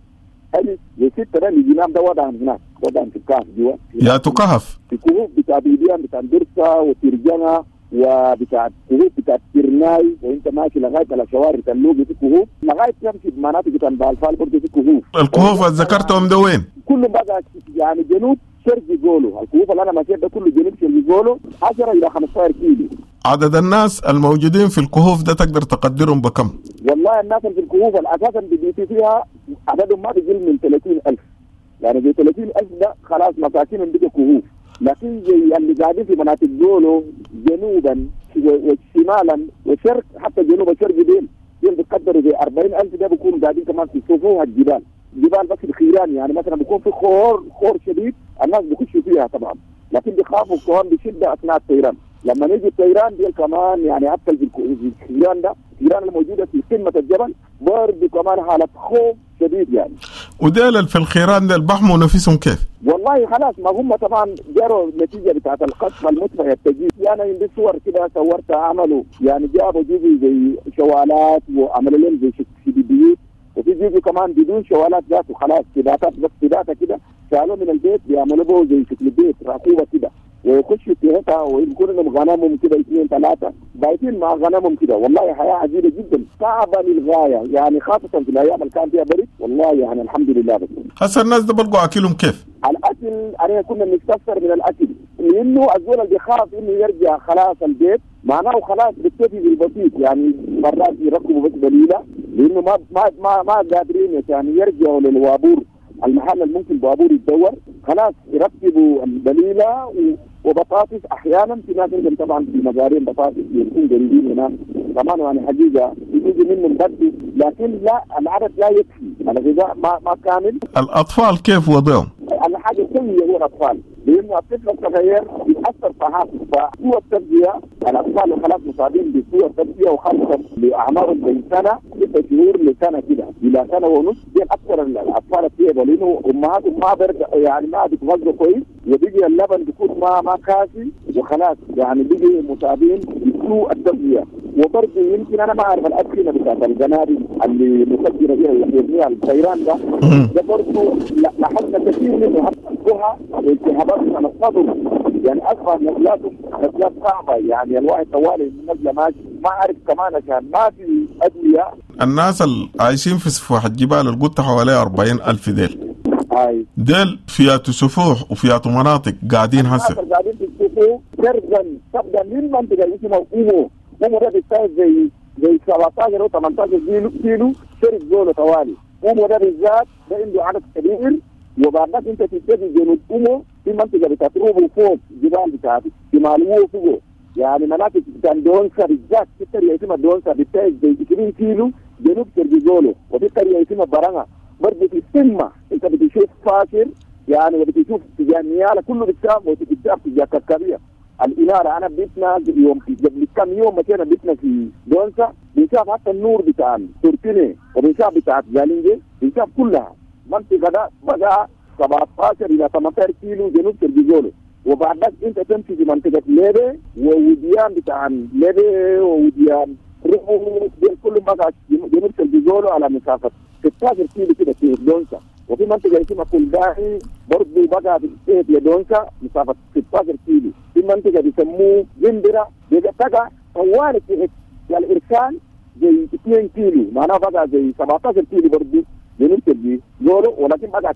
S4: ألف زي ستة ده اللي ده وضعهم هناك، وضعهم في الكهف جوا
S1: يا كهف
S4: في كهوف بتاع بيديان بتاع درسة وترجمة وبتاع كهوف بتاع ترناي، وانت ماشي لغاية على شوارع تلوجي في كهوف لغاية تمشي بمناطق بتاع بالفال برضه في كهوف.
S1: الكهوف اللي ذكرتهم ده وين؟
S4: كلهم بقى يعني جنوب شرق جولو، الكهوف اللي انا ماشي ده كله جنوب شرق جولو عشرة الى خمسة عشر كيلو.
S1: عدد الناس الموجودين في الكهوف ده تقدر تقدرهم بكم؟
S4: والله الناس اللي في الكهوف اساسا بيجي فيها عددهم ما بيقل من ثلاثين ألف، يعني زي ثلاثين ألف ده خلاص مساكين بيجوا كهوف، لكن زي اللي قاعدين في مناطق جولو جنوبا وشمالا وشرق حتى جنوب الشرق ديل ديل بيقدروا زي أربعين ألف ده بيكونوا قاعدين كمان في سفوح الجبال، جبال بس الخيران يعني مثلا بيكون في خور خور شديد الناس بيخشوا فيها طبعا، لكن بيخافوا كمان بشده اثناء الطيران. لما نيجي الطيران دي كمان يعني حتى في الخيران ده الخيران الموجودة في قمة الجبل برضه كمان حاله خوف شديد يعني.
S1: وديل في الخيران ده بحموا نفسهم كيف؟
S4: والله خلاص ما هم طبعا جروا النتيجة بتاعت القصف المدفع التجيب، يعني عندي صور كده صورتها عملوا يعني جابوا جزء زي شوالات وعملوا لهم زي بيوت، وفي جزء كمان بدون شوالات ذاته خلاص سباتات بس سباته كده شالوه من البيت بيعملوا به زي شكل بيت راكوبه كده ويخشوا فيها ويكون لهم غنمهم كده اثنين ثلاثة بايتين مع غنمهم كده. والله حياة عجيبة جدا صعبة للغاية يعني خاصة في الايام اللي كان فيها برد والله يعني الحمد لله. بس
S1: هسه الناس ده بلقوا اكلهم كيف؟
S4: الاكل انا كنا بنستفسر من الاكل لانه الزول اللي بيخاف انه يرجع خلاص البيت معناه خلاص بيكتفي بالبسيط، يعني مرات يركبوا بس بليلة لانه ما ما ما, ما قادرين يعني يرجعوا للوابور المحل اللي ممكن بابور يتدور، خلاص يركبوا البليله وبطاطس احيانا في ناس عندهم طبعا في مزارين بطاطس بيكون قريبين هناك كمان يعني حقيقة يجي منهم بدو، لكن لا العدد لا يكفي. الغذاء ما ما كامل.
S1: الأطفال كيف وضعهم؟
S4: الحاجة السيئة هو الأطفال، لأنه الطفل الصغير يتأثر فحسب، فسوء التغذية الأطفال خلاص مصابين بسوء التغذية، وخاصة لأعمارهم بين سنة ستة شهور لسنة كده إلى سنة ونص، دي أكثر الأطفال الطيبة، لأنه أمهاتهم ما برد يعني ما بيتغذوا كويس، وبيجي اللبن بيكون ما ما كافي، وخلاص يعني بيجي مصابين بسوء التغذية. وبرضه يمكن أنا ما أعرف الأدخنة بتاعت القنابل اللي مفجرة فيها يرميها الطيران ده، ده برضه لاحظنا كثير منه حتى والتهابات على الصدر، يعني أصبح نزلاتهم نزلات صعبة، يعني الواحد طوالي النزلة ماشي ما أعرف كمان عشان ما في أدوية.
S1: الناس اللي عايشين في سفوح الجبال اللي قلت حوالي أربعين ألف ديل
S4: هاي
S1: ديل فياتو سفوح وفياتو مناطق قاعدين هسه
S4: قاعدين في السفوح شرقا تبدا من منطقة اسمها أومو، أومو ده بيستاهل زي زي سبعتاشر أو ثمانتاشر كيلو كيلو شرق زوله طوالي. أومو ده بالذات ده عنده عدد كبير، وبعد ذلك انت تبتدي جنوب أومو في منطقة بتاعت روبو فوق جبال بتاعت شمال فوق، يعني مناطق بتاعت دونسا بالذات في قرية اسمها دونسا بتاعت زي عشرين كيلو جنوب شرق زولو، وفي قرية اسمها برانغا برضه في السمة انت بتشوف فاشر يعني، وبتشوف تجاه نيالة كله بتشاف، وبتشاف تجاه كركبية الإنارة. أنا بيتنا يوم قبل كم يوم مشينا بيتنا في دونسا بنشاف حتى النور بتاع تورتيني، وبنشاف بتاع زالينجي، بنشاف كلها منطقة ده بقى سبعتاشر إلى ثمانتاشر كيلو جنوب شرق. وبعد ذلك أنت تمشي في منطقة ليبي ووديان بتاع ليبي ووديان روحو دي كلهم بقى جنوب شرق على مسافة ستاشر كيلو كده في دونسا. وفي منطقة اسمها كولداهي برضه بقى في دونسا مسافة ستاشر كيلو. في منطقة بيسموه جندرة بقى طوال في الإرسال زي اثنين كيلو، معناها بقى زي سبعتاشر كيلو برضه جنوب شرق زولو، ولكن بقى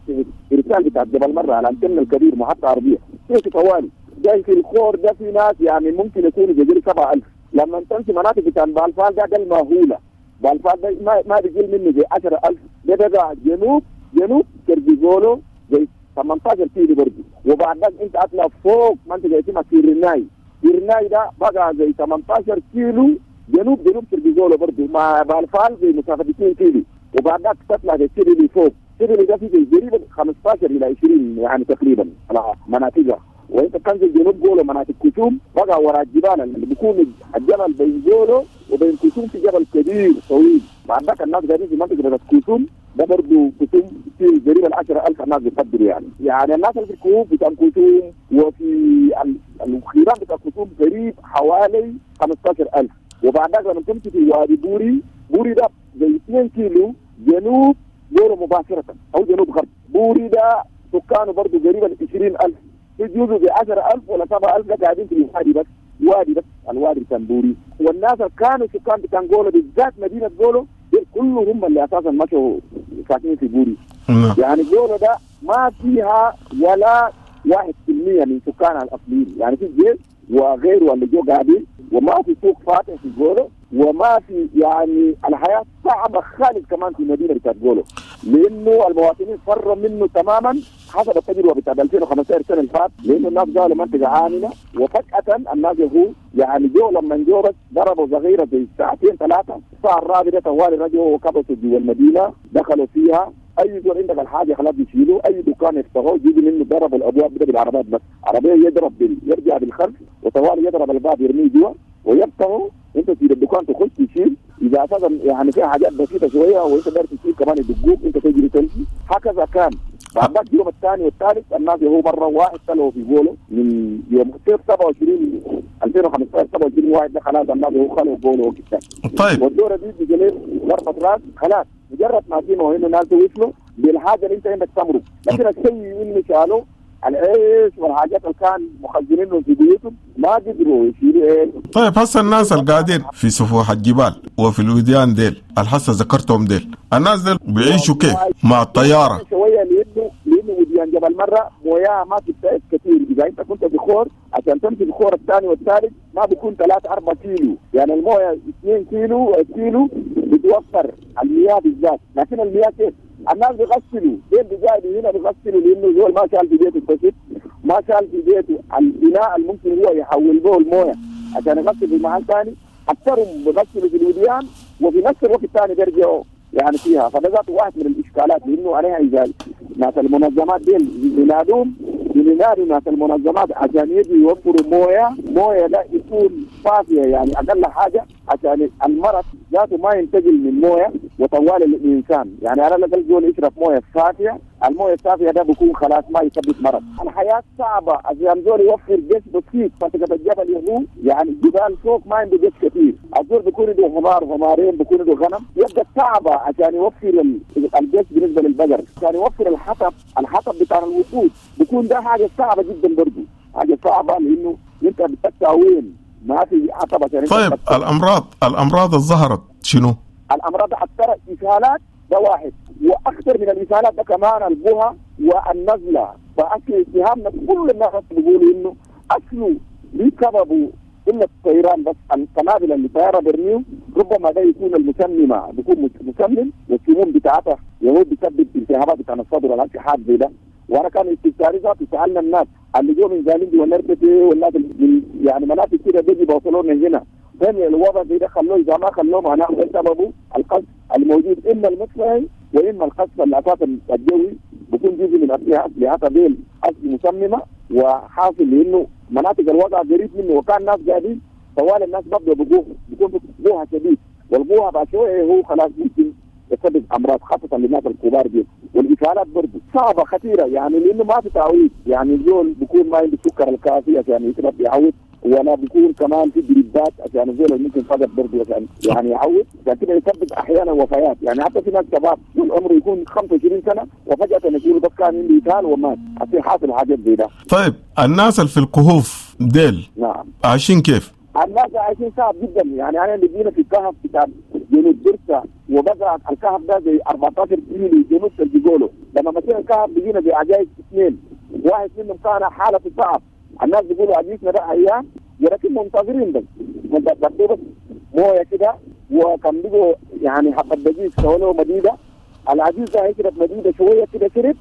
S4: الإرسال بتاع جبل مرة على الأنتن الكبير محطة عربية كيف طوالي جاي في الخور ده. في ناس يعني ممكن يكونوا جزيرة سبعة ألف. لما تمشي مناطق بتاع بالفال ده ده المهولة، بالفال ده ما ما بيجي منه زي عشرة ألف، ده بقى جنوب جنوب شرق زولو زي ثمانتاشر كيلو برضه. وبعد ذلك انت اطلع فوق منطقة اسمها كيرناي، كيرناي ده بقى زي ثمانتاشر كيلو جنوب جنوب شرق زولو برضه مع بالفال زي مسافة اثنين كيلو. وبعد ذلك تطلع زي سيريلي فوق، سيريلي ده في زي قريب خمستاشر إلى عشرين يعني تقريبا على مناطقها. وانت تنزل جنوب جولو مناطق كتوم بقى وراء الجبال اللي بيكون الجبل بين جولو وبين كتوم في جبل كبير طويل. بعد ذلك الناس قاعدين في منطقة بتاعت كتوم ده برضه كتوم في قريب العشرة ألف الناس بتقدر يعني. يعني الناس اللي في الكهوف بتاع كتوم وفي الخيران بتاع كتوم قريب حوالي خمستاشر ألف. وبعد ذلك لما تمشي في وادي بوري، بوري ده زي اثنين كيلو جنوب جولو مباشرة أو جنوب غرب. بوري ده سكانه برضه قريبا عشرين ألف، في جزء زي عشرة ألف ولا سبعة ألف ده قاعدين في الوادي بس، وادي بس الوادي بتاع بوري. والناس اللي كانوا سكان بتاع جولو بالذات مدينة جولو دول كلهم هم اللي أساسا مشوا ساكنين في بوري. يعني جولو ده ما فيها ولا واحد في المية من سكانها الأصليين، يعني في الجيش وغيره اللي جو قاعدين، وما في سوق فاتح في جولو، وما في يعني الحياة صعبة خالص كمان في مدينة بتاعت جولو، لأنه المواطنين فروا منه تماما حسب التجربة بتاعت ألفين وخمستاشر سنة اللي فات، لأنه الناس قالوا منطقة آمنة، وفجأة الناس هو يعني جو لما جو بس ضربوا صغيرة زي ساعتين ثلاثة، الساعة الرابعة طوالي رجعوا وكبسوا جوا المدينة، دخلوا فيها اي زول عندك الحاجة خلاص بيشيلوه، اي دكان يفتحوه يجي منه ضربوا الابواب ده بالعربات بس، عربية يضرب بال... يرجع بالخلف وطوالي يضرب الباب يرميه جوا ويفتحه، انت تسيب الدكان تخش تشيل، اذا اساسا يعني فيها حاجات بسيطة شوية وانت داير تشيل كمان يدقوك انت تجري تمشي، هكذا كان. بعد ذاك اليوم الثاني والثالث الناس هو مرة واحد طلعوا في جولة من يوم سبعة وعشرين ألفين وخمسة عشر سبعة وعشرين واحد ده خلاص الناس هو خلوا جولة وكده.
S1: طيب
S4: والدوره دي بجليل ضربه راس خلاص مجرد ما سمعوا انه الناس وصلوا بالحاجة اللي انت عندك تمرق، لكن الشيء اللي شالوه العيش والحاجات اللي كان مخزنينه في بيوتهم ما قدروا يشيلوا ايه.
S1: طيب هسه الناس اللي قاعدين في سفوح الجبال وفي الوديان ديل الحسه ذكرتهم ديل، الناس ديل بيعيشوا كيف مع الطيارة؟
S4: شوية لانه لانه وديان جبل مرة موياه ما بتبتعد كثير، اذا انت كنت بخور عشان تمشي الخور الثاني والثالث ما بيكون ثلاثة أربعة كيلو، يعني المويه اثنين كيلو كيلو بتوفر المياه بالذات، لكن المياه كيف؟ الناس بيغسلوا، ديل بيجاي هنا بيغسلوا لانه زول ما شال في بيته الفسد، ما شال في بيته البناء الممكن هو يحول به المويه عشان يغسل في محل ثاني، اكثرهم بيغسلوا في الوديان وفي نفس الوقت الثاني بيرجعوا يعني فيها. فده ذاته واحد من الاشكالات، لانه عليها اذا ناس المنظمات دي بينادوهم بينادوا ناس المنظمات عشان يجوا يوفروا مويه، مويه ده يكون صافية يعني اقل حاجة عشان المرض ذاته ما ينتقل من مويه وطوال الانسان. يعني على الاقل زول يشرب مويه صافية، المويه الصافية ده بيكون خلاص ما يسبب مرض. الحياة صعبة عشان زول يوفر جيش بسيط، منطقة الجبل يهو يعني الجبال فوق ما عنده جيش كثير، الزول بيكون عنده حمار حمارين بيكون عنده غنم، يبقى صعبة عشان يوفر الجيش بالنسبة للبقر، عشان يوفر الحطب، الحطب بتاع الوقود بيكون ده حاجة صعبة جدا برضه، حاجة صعبة لانه انت بتقطع وين ما في حطب عشان.
S1: طيب الامراض الامراض الظهرت شنو؟
S4: الامراض اكثر اسهالات ده واحد، واكثر من الاسهالات ده كمان البهى والنزله. فاصل اتهامنا كل الناس بيقولوا انه اصله بسببه الا الطيران بس، القنابل اللي طيارة برميو ربما ده يكون المسممه، بيكون مسمم والسموم بتاعتها يهو بيسبب التهابات بتاع الصدر ولا حاجة زي ده. وانا كان استفساري ذاته سالنا الناس اللي جو من زالينجي ونرتتي والناس من يعني مناطق كده بيجي بوصلوا من هنا، فين الوضع زي ده خلوه اذا ما خلوه معناه ده سببه القصف الموجود، اما المدفعي واما القصف اللي اساسا الجوي بيكون جزء من اسلحة اسلحة ديل اصل مسممه وحاصل، لانه مناطق الوضع قريب منه وكان ناس قاعدين طوال الناس ببدوا بجوه بيكون جوها شديد، والجوها بعد شوية هو خلاص ممكن يسبب امراض خاصة للناس الكبار دي. والاسهالات برضه صعبة خطيرة يعني لانه ما في تعويض، يعني الزول بيكون ما عنده السكر الكافي عشان يشرب يعوض، ولا بيكون كمان في دريبات عشان الزول اللي ممكن فقد برضه عشان يعني يعوض، عشان كده يسبب احيانا وفيات. يعني حتى في ناس شباب طول عمره يكون خمسة وعشرين سنة وفجاة يقولوا بس كان عنده اسهال ومات، عشان حاصل حاجات زي ده.
S1: طيب الناس اللي في الكهوف ديل
S4: نعم
S1: عايشين كيف؟
S4: الناس عايشين صعب جدا. يعني انا اللي جينا في الكهف بتاع جنوب درسا وبقى الكهف ده زي أربعتاشر كيلو جنوب الجولو، لما مشينا الكهف بقينا زي عجائز اثنين، واحد منهم كان حالته صعب، الناس بيقولوا عجيزنا ده ايام ولكن منتظرين بس منتظرين بس مويه كده، وكان بيجوا يعني حبه دقيق سووا مديدة، العجيز ده هيشرب مديدة شوية كده شرب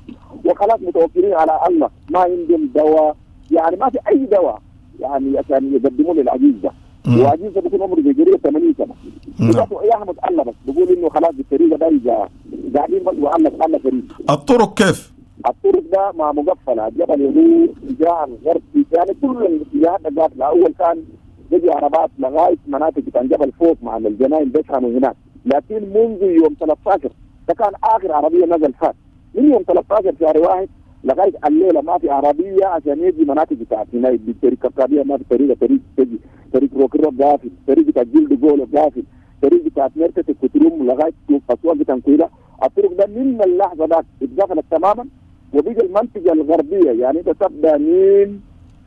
S4: وخلاص متوكلين على الله، ما عندهم دواء يعني ما في اي دواء يعني عشان يقدموا للعجيز ده. وعجيز ده بيكون عمره زي قريب ثمانين سنة. نعم. يحمد الله بس بيقول انه خلاص بالطريقة ده اذا قاعدين بس والله الله كريم.
S1: الطرق كيف؟
S4: الطرق ده ما مقفلة، الجبل يدور اتجاه الغرب يعني كل الاتجاهات قافله. اول كان بيجي عربات لغاية مناطق بتاع جبل فوق مع الجناين بيشحنوا هناك، لكن منذ يوم ثلاثة عشر ده كان اخر عربية نزل فات، من يوم ثلاثة عشر شهر واحد لغاية الليلة ما في عربية عشان يجي مناطق بتاعت هنا بالطريق الكبكابيه ما في طريقه، طريق تجي طريق روكرو قافل، طريق بتاع جلد جولو قافل، طريق بتاعت مرتة الكتروم لغاية اسواق بتاع كويلا. الطرق ده من اللحظة ده اتقفلت تماما، وبيجي المنطقة الغربية يعني انت تبدا من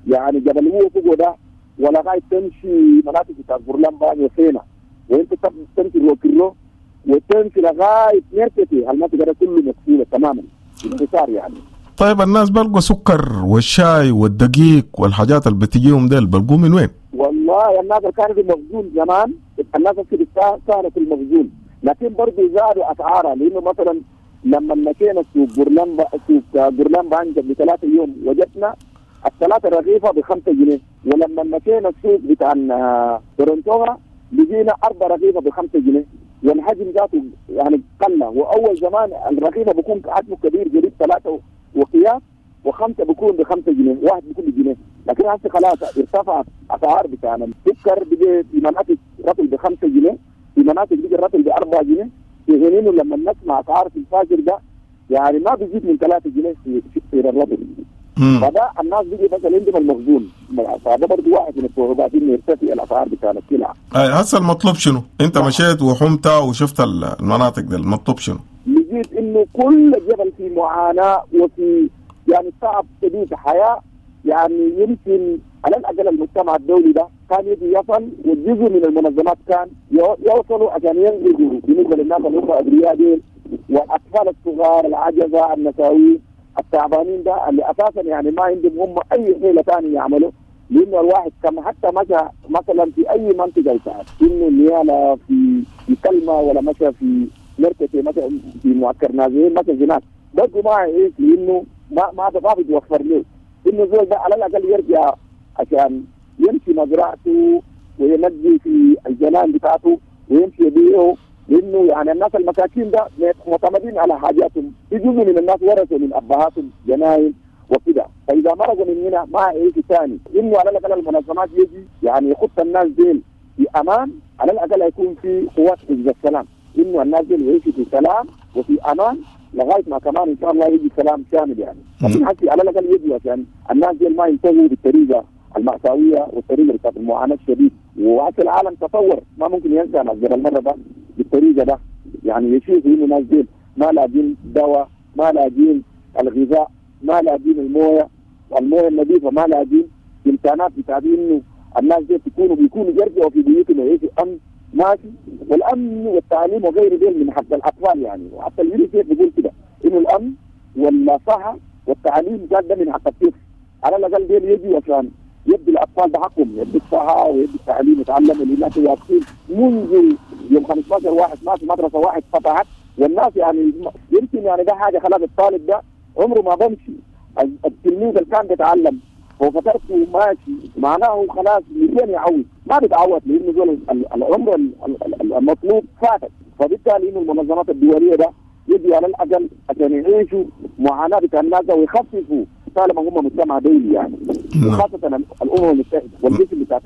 S4: يعني جبل هو فوق ده ولغاية تمشي مناطق بتاعت برلمان وسينا، وانت تمشي روكرو وتمشي لغاية مرتة، المنطقة ده كله مقفولة تماما انتصار يعني.
S1: طيب الناس بلقوا سكر والشاي والدقيق والحاجات اللي بتجيهم ديل بلقوا من وين؟
S4: والله الناس اللي كانوا في المخزون زمان الناس في سهلة في المخزون، لكن برضه زادوا اسعارها، لانه مثلا لما مشينا سوق برلمان سوق برلمان قبل ثلاثة يوم وجدنا الثلاثة رغيفه بخمسة جنيه، ولما مشينا السوق بتاع تورنتوها لقينا اربع رغيفه بخمسة جنيه، والحجم ذاته يعني قل. واول زمان الرغيفه بيكون حجمه كبير قريب ثلاثة وقياس وخمسة بيكون بخمسة جنيه، واحد بيكون بجنيه، لكن هسه خلاص ارتفعت اسعار بتاعنا. السكر بيجي في مناطق رطل بخمسة جنيه، في مناطق بيجي الرطل بأربعة جنيه، في حين انه لما نسمع اسعار في الفاجر ده يعني ما بيزيد من ثلاثة جنيه في في الرطل. فده الناس بيجي مثلا عندهم المخزون، فده برضه واحد من الصعوبات انه يرتفع الاسعار بتاعنا السلع.
S1: اي هسه المطلوب شنو؟ انت مشيت وحمت وشفت المناطق دي، المطلوب شنو؟
S4: لقيت انه كل جبل في معاناة وفي يعني صعب شديد حياة، يعني يمكن على الاقل المجتمع الدولي ده كان يجي يصل، والجزء من المنظمات كان يوصلوا عشان ينقذوا بالنسبة للناس اللي هم ابرياء ديل والاطفال الصغار العجزة النساويين التعبانين ده اللي اساسا يعني ما عندهم هم اي حيله ثانية يعملوا، لانه الواحد كما حتى مشى مثلا في اي منطقة يساعد انه نيالا في في كلمة ولا مشى في مركز مشى في معسكر نازلين مشى هناك برضه ما يعيش، لانه ما ما ما بيتوفر له انه زول ده على الاقل يرجع عشان يمشي مزرعته وينجي في الجنان بتاعته ويمشي يبيعه لانه يعني الناس المساكين ده معتمدين على حاجاتهم، في جزء من الناس ورثوا من ابهاتهم جناين وكده، فاذا مرقوا من هنا ما هيعيشوا ثاني. انه على الاقل المنظمات يجي يعني يخط الناس ديل في امان، على الاقل يكون في قوات حفظ السلام، انه الناس ديل يعيشوا في سلام وفي امان لغاية ما كمان ان شاء الله يجي سلام شامل يعني. لكن حتى على الاقل يجي عشان الناس ديل ما ينتهوا بالطريقة المأساوية والطريقة بتاعت المعاناة الشديد. وحتى العالم تطور، ما ممكن ينسى ناس جبل مرة ده بالطريقة ده، يعني يشوفوا انه ناس ديل ما لاقين دواء، ما لاقين الغذاء، ما لاقين المويه والمويه النظيفة، ما لاقين امكانات بتاعت انه الناس دي تكونوا بيكونوا يرجعوا في بيوتهم ويعيشوا امن ماشي. والامن والتعليم وغيره ديل من حق الاطفال يعني، وحتى اليونيسيف بيقول كده انه الامن والصحة والتعليم قال ده من حق الطفل، على الاقل ديل يجوا عشان يدي الاطفال ده حقهم، يدي الصحة ويدي التعليم يتعلموا. الناس واقفين منذ يوم خمسة عشر واحد ما في مدرسه واحد فتحت، والناس يعني يمكن يعني ده حاجة خلاص الطالب ده عمره ما بمشي، التلميذ اللي كان بيتعلم هو فترته ماشي معناه خلاص ميتين يعود، ما بيتعود لانه دول العمر المطلوب فاتت. فبالتالي انه المنظمات الدولية ده يجي على الاقل عشان يعيشوا معاناة بتاع الناس ويخففوا طالما هم مجتمع دولي يعني، وخاصة الامم المتحدة والجسم بتاع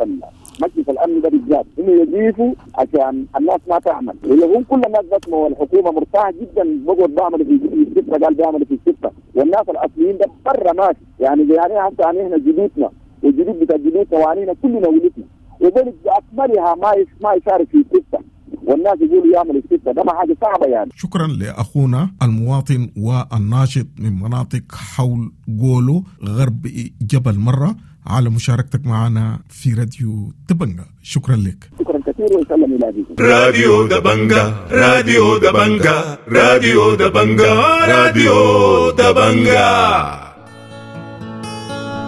S4: مجلس الامن ده بالذات انه يضيفوا عشان الناس ما تعمل. هم كل الناس بس والحكومة مرتاحة جدا بقعد بعمل في الستة، قال بيعمل في الستة، والناس الاصليين ده برا ماشي يعني. يعني حتى يعني احنا جدودنا والجدود بتاع جدودنا وعنينا كلنا ولدنا وبلد باكملها ما ما يشارك في الستة، والناس يقولوا يعمل الستة ده ما حاجة صعبة يعني.
S1: شكرا لاخونا المواطن والناشط من مناطق حول جولو غرب جبل مرة على مشاركتك معنا في راديو دبنجا، شكرا لك.
S4: شكرا كثير وسلم الى بكم.
S11: راديو دبنجا، راديو دبنجا، راديو دبنجا، راديو دبنجا.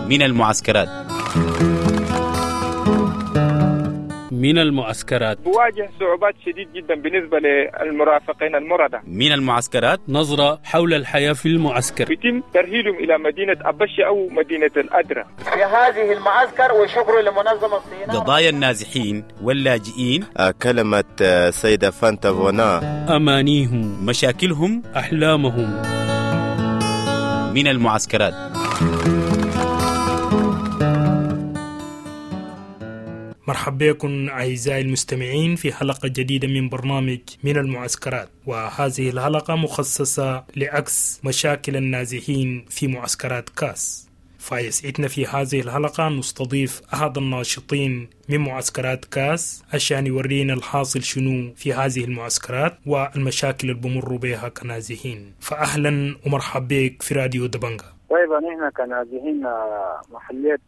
S12: من المعسكرات،
S8: من المعسكرات
S3: بواجه صعوبات شديد جدا بالنسبة للمرافقين المرضى.
S12: من المعسكرات
S8: نظرة حول الحياة في المعسكر.
S3: يتم ترهيلهم إلى مدينة أبشي أو مدينة الأدرة
S13: في هذه المعسكر، وشكر لمنظمة الصينية.
S12: قضايا النازحين واللاجئين،
S14: كلمة سيدة فانتا فونا،
S8: أمانيهم،
S12: مشاكلهم،
S8: أحلامهم.
S12: من المعسكرات.
S15: مرحبا بكم أعزائي المستمعين في حلقة جديدة من برنامج من المعسكرات، وهذه الحلقة مخصصة لعكس مشاكل النازحين في معسكرات كاس. فيسعدنا في هذه الحلقة نستضيف أحد الناشطين من معسكرات كاس عشان يورينا الحاصل شنو في هذه المعسكرات والمشاكل اللي بمروا بها كنازحين. فأهلا ومرحبا بك في راديو دبنجا.
S5: طيب نحن كنازحين محلية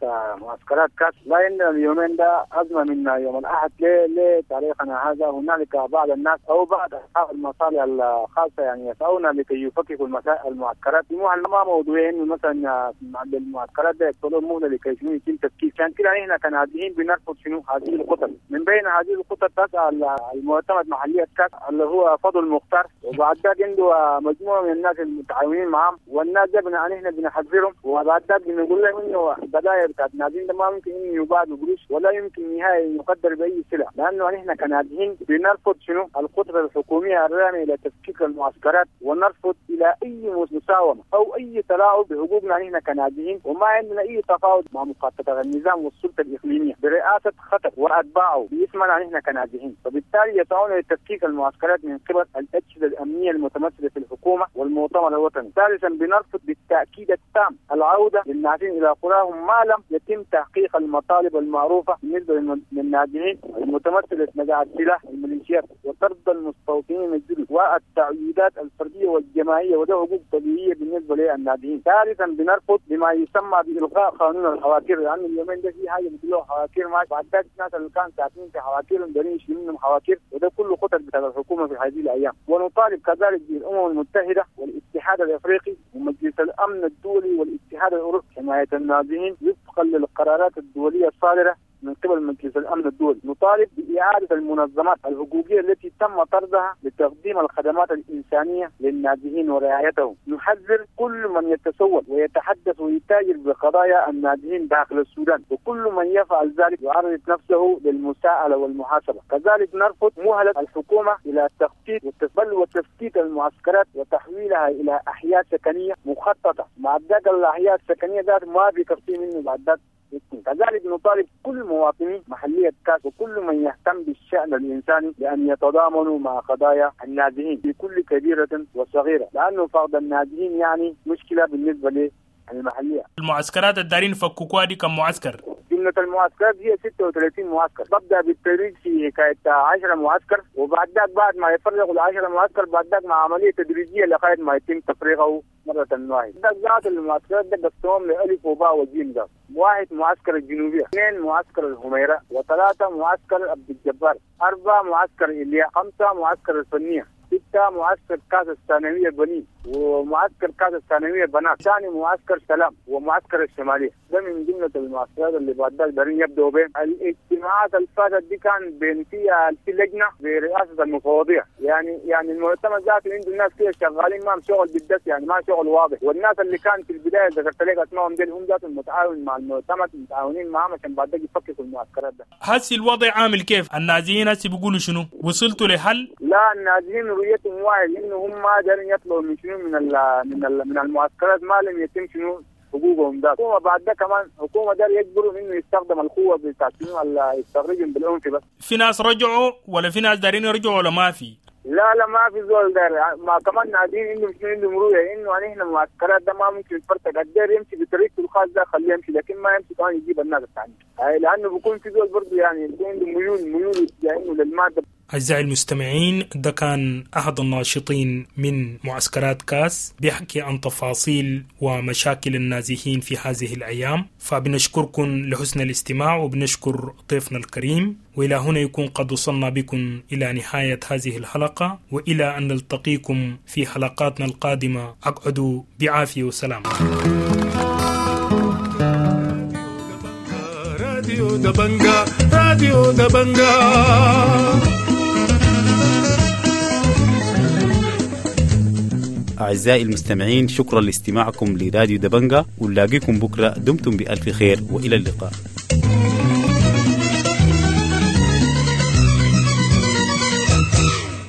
S5: معسكرات كاس لا عندنا اليومين ده أزمة من يوم الأحد لتاريخنا هذا. هنالك بعض الناس أو بعض أصحاب المصالح الخاصة يعني يسعون لكي يفككوا المعسكرات. ما موضوعين مثلا المعسكرات ده يقتلون مهلة لكي شنو يتم تفكيك. عشان كده نحن كنازحين بنرفض شنو هذه الخطط. من بين هذه الخطط تسأل المعتمد محلية كاس اللي هو فضل مختار، وبعد ذاك عنده مجموعة من الناس المتعاونين معهم، والناس ده نحن بنحذرهم، وبعد ذاك بنقول لهم انه البداية بتاعت النازحين ده ما ممكن انه يباع بقروش ولا يمكن نهائي يقدر باي سلع، لانه نحن كنازحين بنرفض شنو الخطط الحكومية الرامية الى تفكيك المعسكرات، ونرفض الى اي مساومة او اي تلاعب بحقوقنا نحن كنازحين، وما عندنا اي تفاوض مع مخططات النظام والسلطة الاقليمية برئاسة خطر واتباعه باسمنا نحن كنازحين. فبالتالي يسعون لتفكيك المعسكرات من قبل الاجهزة الامنية المتمثلة في الحكومة والمؤتمر الوطني. ثالثا بنرفض بالتاكيد التام العودة للنازحين إلى قراهم ما لم يتم تحقيق المطالب المعروفة بالنسبة للنازحين المتمثلة في نزع السلاح الميليشيات وطرد المستوطنين الجدد والتعويضات الفردية والجماعية، وده حقوق طبيعية بالنسبة للنازحين. ثالثا بنرفض بما يسمى بإلغاء قانون الحواكير، لأن اليومين ده في حاجة بيقولوا حواكير ما بعد ذلك الناس اللي كانوا ساكنين في حواكيرهم دارين يشيلوا منهم حواكير، وده كله خطط بتاع الحكومة في هذه الأيام. ونطالب كذلك بالأمم المتحدة والاتحاد الأفريقي ومجلس الأمن الدولي والاتحاد الأوروبي حماية النازحين وفقا للقرارات الدولية الصادرة من قبل مجلس الأمن الدولي. نطالب بإعادة المنظمات الحقوقية التي تم طردها لتقديم الخدمات الإنسانية للنازحين ورعايتهم. نحذر كل من يتسول ويتحدث ويتاجر بقضايا النازحين داخل السودان، وكل من يفعل ذلك يعرض نفسه للمساءلة والمحاسبة. كذلك نرفض مهلة الحكومة إلى التخطيط والتسبل وتفتيت المعسكرات وتحويلها إلى أحياء سكنية مخططة. مع ذاك الأحياء السكنية ذات ما بيكفي منه بعد ذاك. كذلك نطالب كل مواطني محلية كاس وكل من يهتم بالشأن الإنساني بأن يتضامنوا مع قضايا النازحين في كل كبيرة وصغيرة، لأنه فقد النازحين يعني مشكلة بالنسبة للمحلية.
S15: المعسكرات الدارين فكوكوا دي كم معسكر؟
S5: جملة المعسكرات هي ستة وثلاثين معسكر. ببدأ بالتدريج في حكاية عشرة معسكر، وبعد ذاك بعد ما يفرغوا العشرة معسكر بعد ذاك مع عملية تدريجية لغاية ما يتم تفريغه مرة واحدة. ذات المعسكرات ده قسمهم لألف وباء وجيم. ده واحد معسكر الجنوبية، اثنين معسكر الهميرة، وثلاثة معسكر عبد الجبار، أربعة معسكر إليا، خمسة معسكر الفنية، ستة معسكر كاس الثانوية بنين ومعسكر كاس الثانوية بنات، ثاني معسكر سلام ومعسكر الشمالية. ده من جملة المعسكرات اللي بعد ذلك دارين يبدأوا بين الاجتماعات اللي فاتت دي كان بين فيها في لجنة برئاسة المفوضية، يعني يعني المؤتمر ذاته عنده الناس كده شغالين ما شغل بالدس، يعني ما شغل واضح. والناس اللي كان في البداية ذكرت لك اسمائهم دي هم ذاتهم متعاون مع المؤتمر، متعاونين معهم عشان بعد ذلك يفككوا المعسكرات ده.
S15: هسي الوضع عامل كيف؟ النازحين هسي بيقولوا شنو؟ وصلتوا لحل؟
S5: لا، النازحين رؤيتهم واحد انه هم ما قادرين يطلعوا من شنو من ال من ال من المعسكرات ما لم يتم شنو حقوقهم ده. الحكومة بعد ده كمان الحكومة ده يجبرهم انه يستخدم القوة بتاعت شنو يستخرجهم بالعنف بس.
S15: في ناس رجعوا ولا في ناس دارين يرجعوا ولا ما في؟
S5: لا لا ما في زول داير. ما كمان نازحين عندهم شنو عندهم رؤية انه نحن المعسكرات ده ما ممكن يتفرتق، الدير يمشي بطريقته الخاص ده خليه يمشي، لكن ما يمشي كمان يجيب الناس الثانية، لانه بيكون في زول برضه يعني بيكون عنده ميول ميول يعني للمادة.
S15: أعزائي المستمعين، ده كان أحد الناشطين من معسكرات كاس بيحكي عن تفاصيل ومشاكل النازحين في هذه الأيام. فبنشكركم لحسن الاستماع وبنشكر ضيفنا الكريم، وإلى هنا يكون قد وصلنا بكم إلى نهاية هذه الحلقة، وإلى أن نلتقيكم في حلقاتنا القادمة. أقعدوا بعافية وسلام.
S11: راديو دبنجا، راديو دبنجا.
S12: أعزائي المستمعين، شكرا لاستماعكم لراديو دبنجا، ونلاقيكم بكرة. دمتم بألف خير وإلى اللقاء.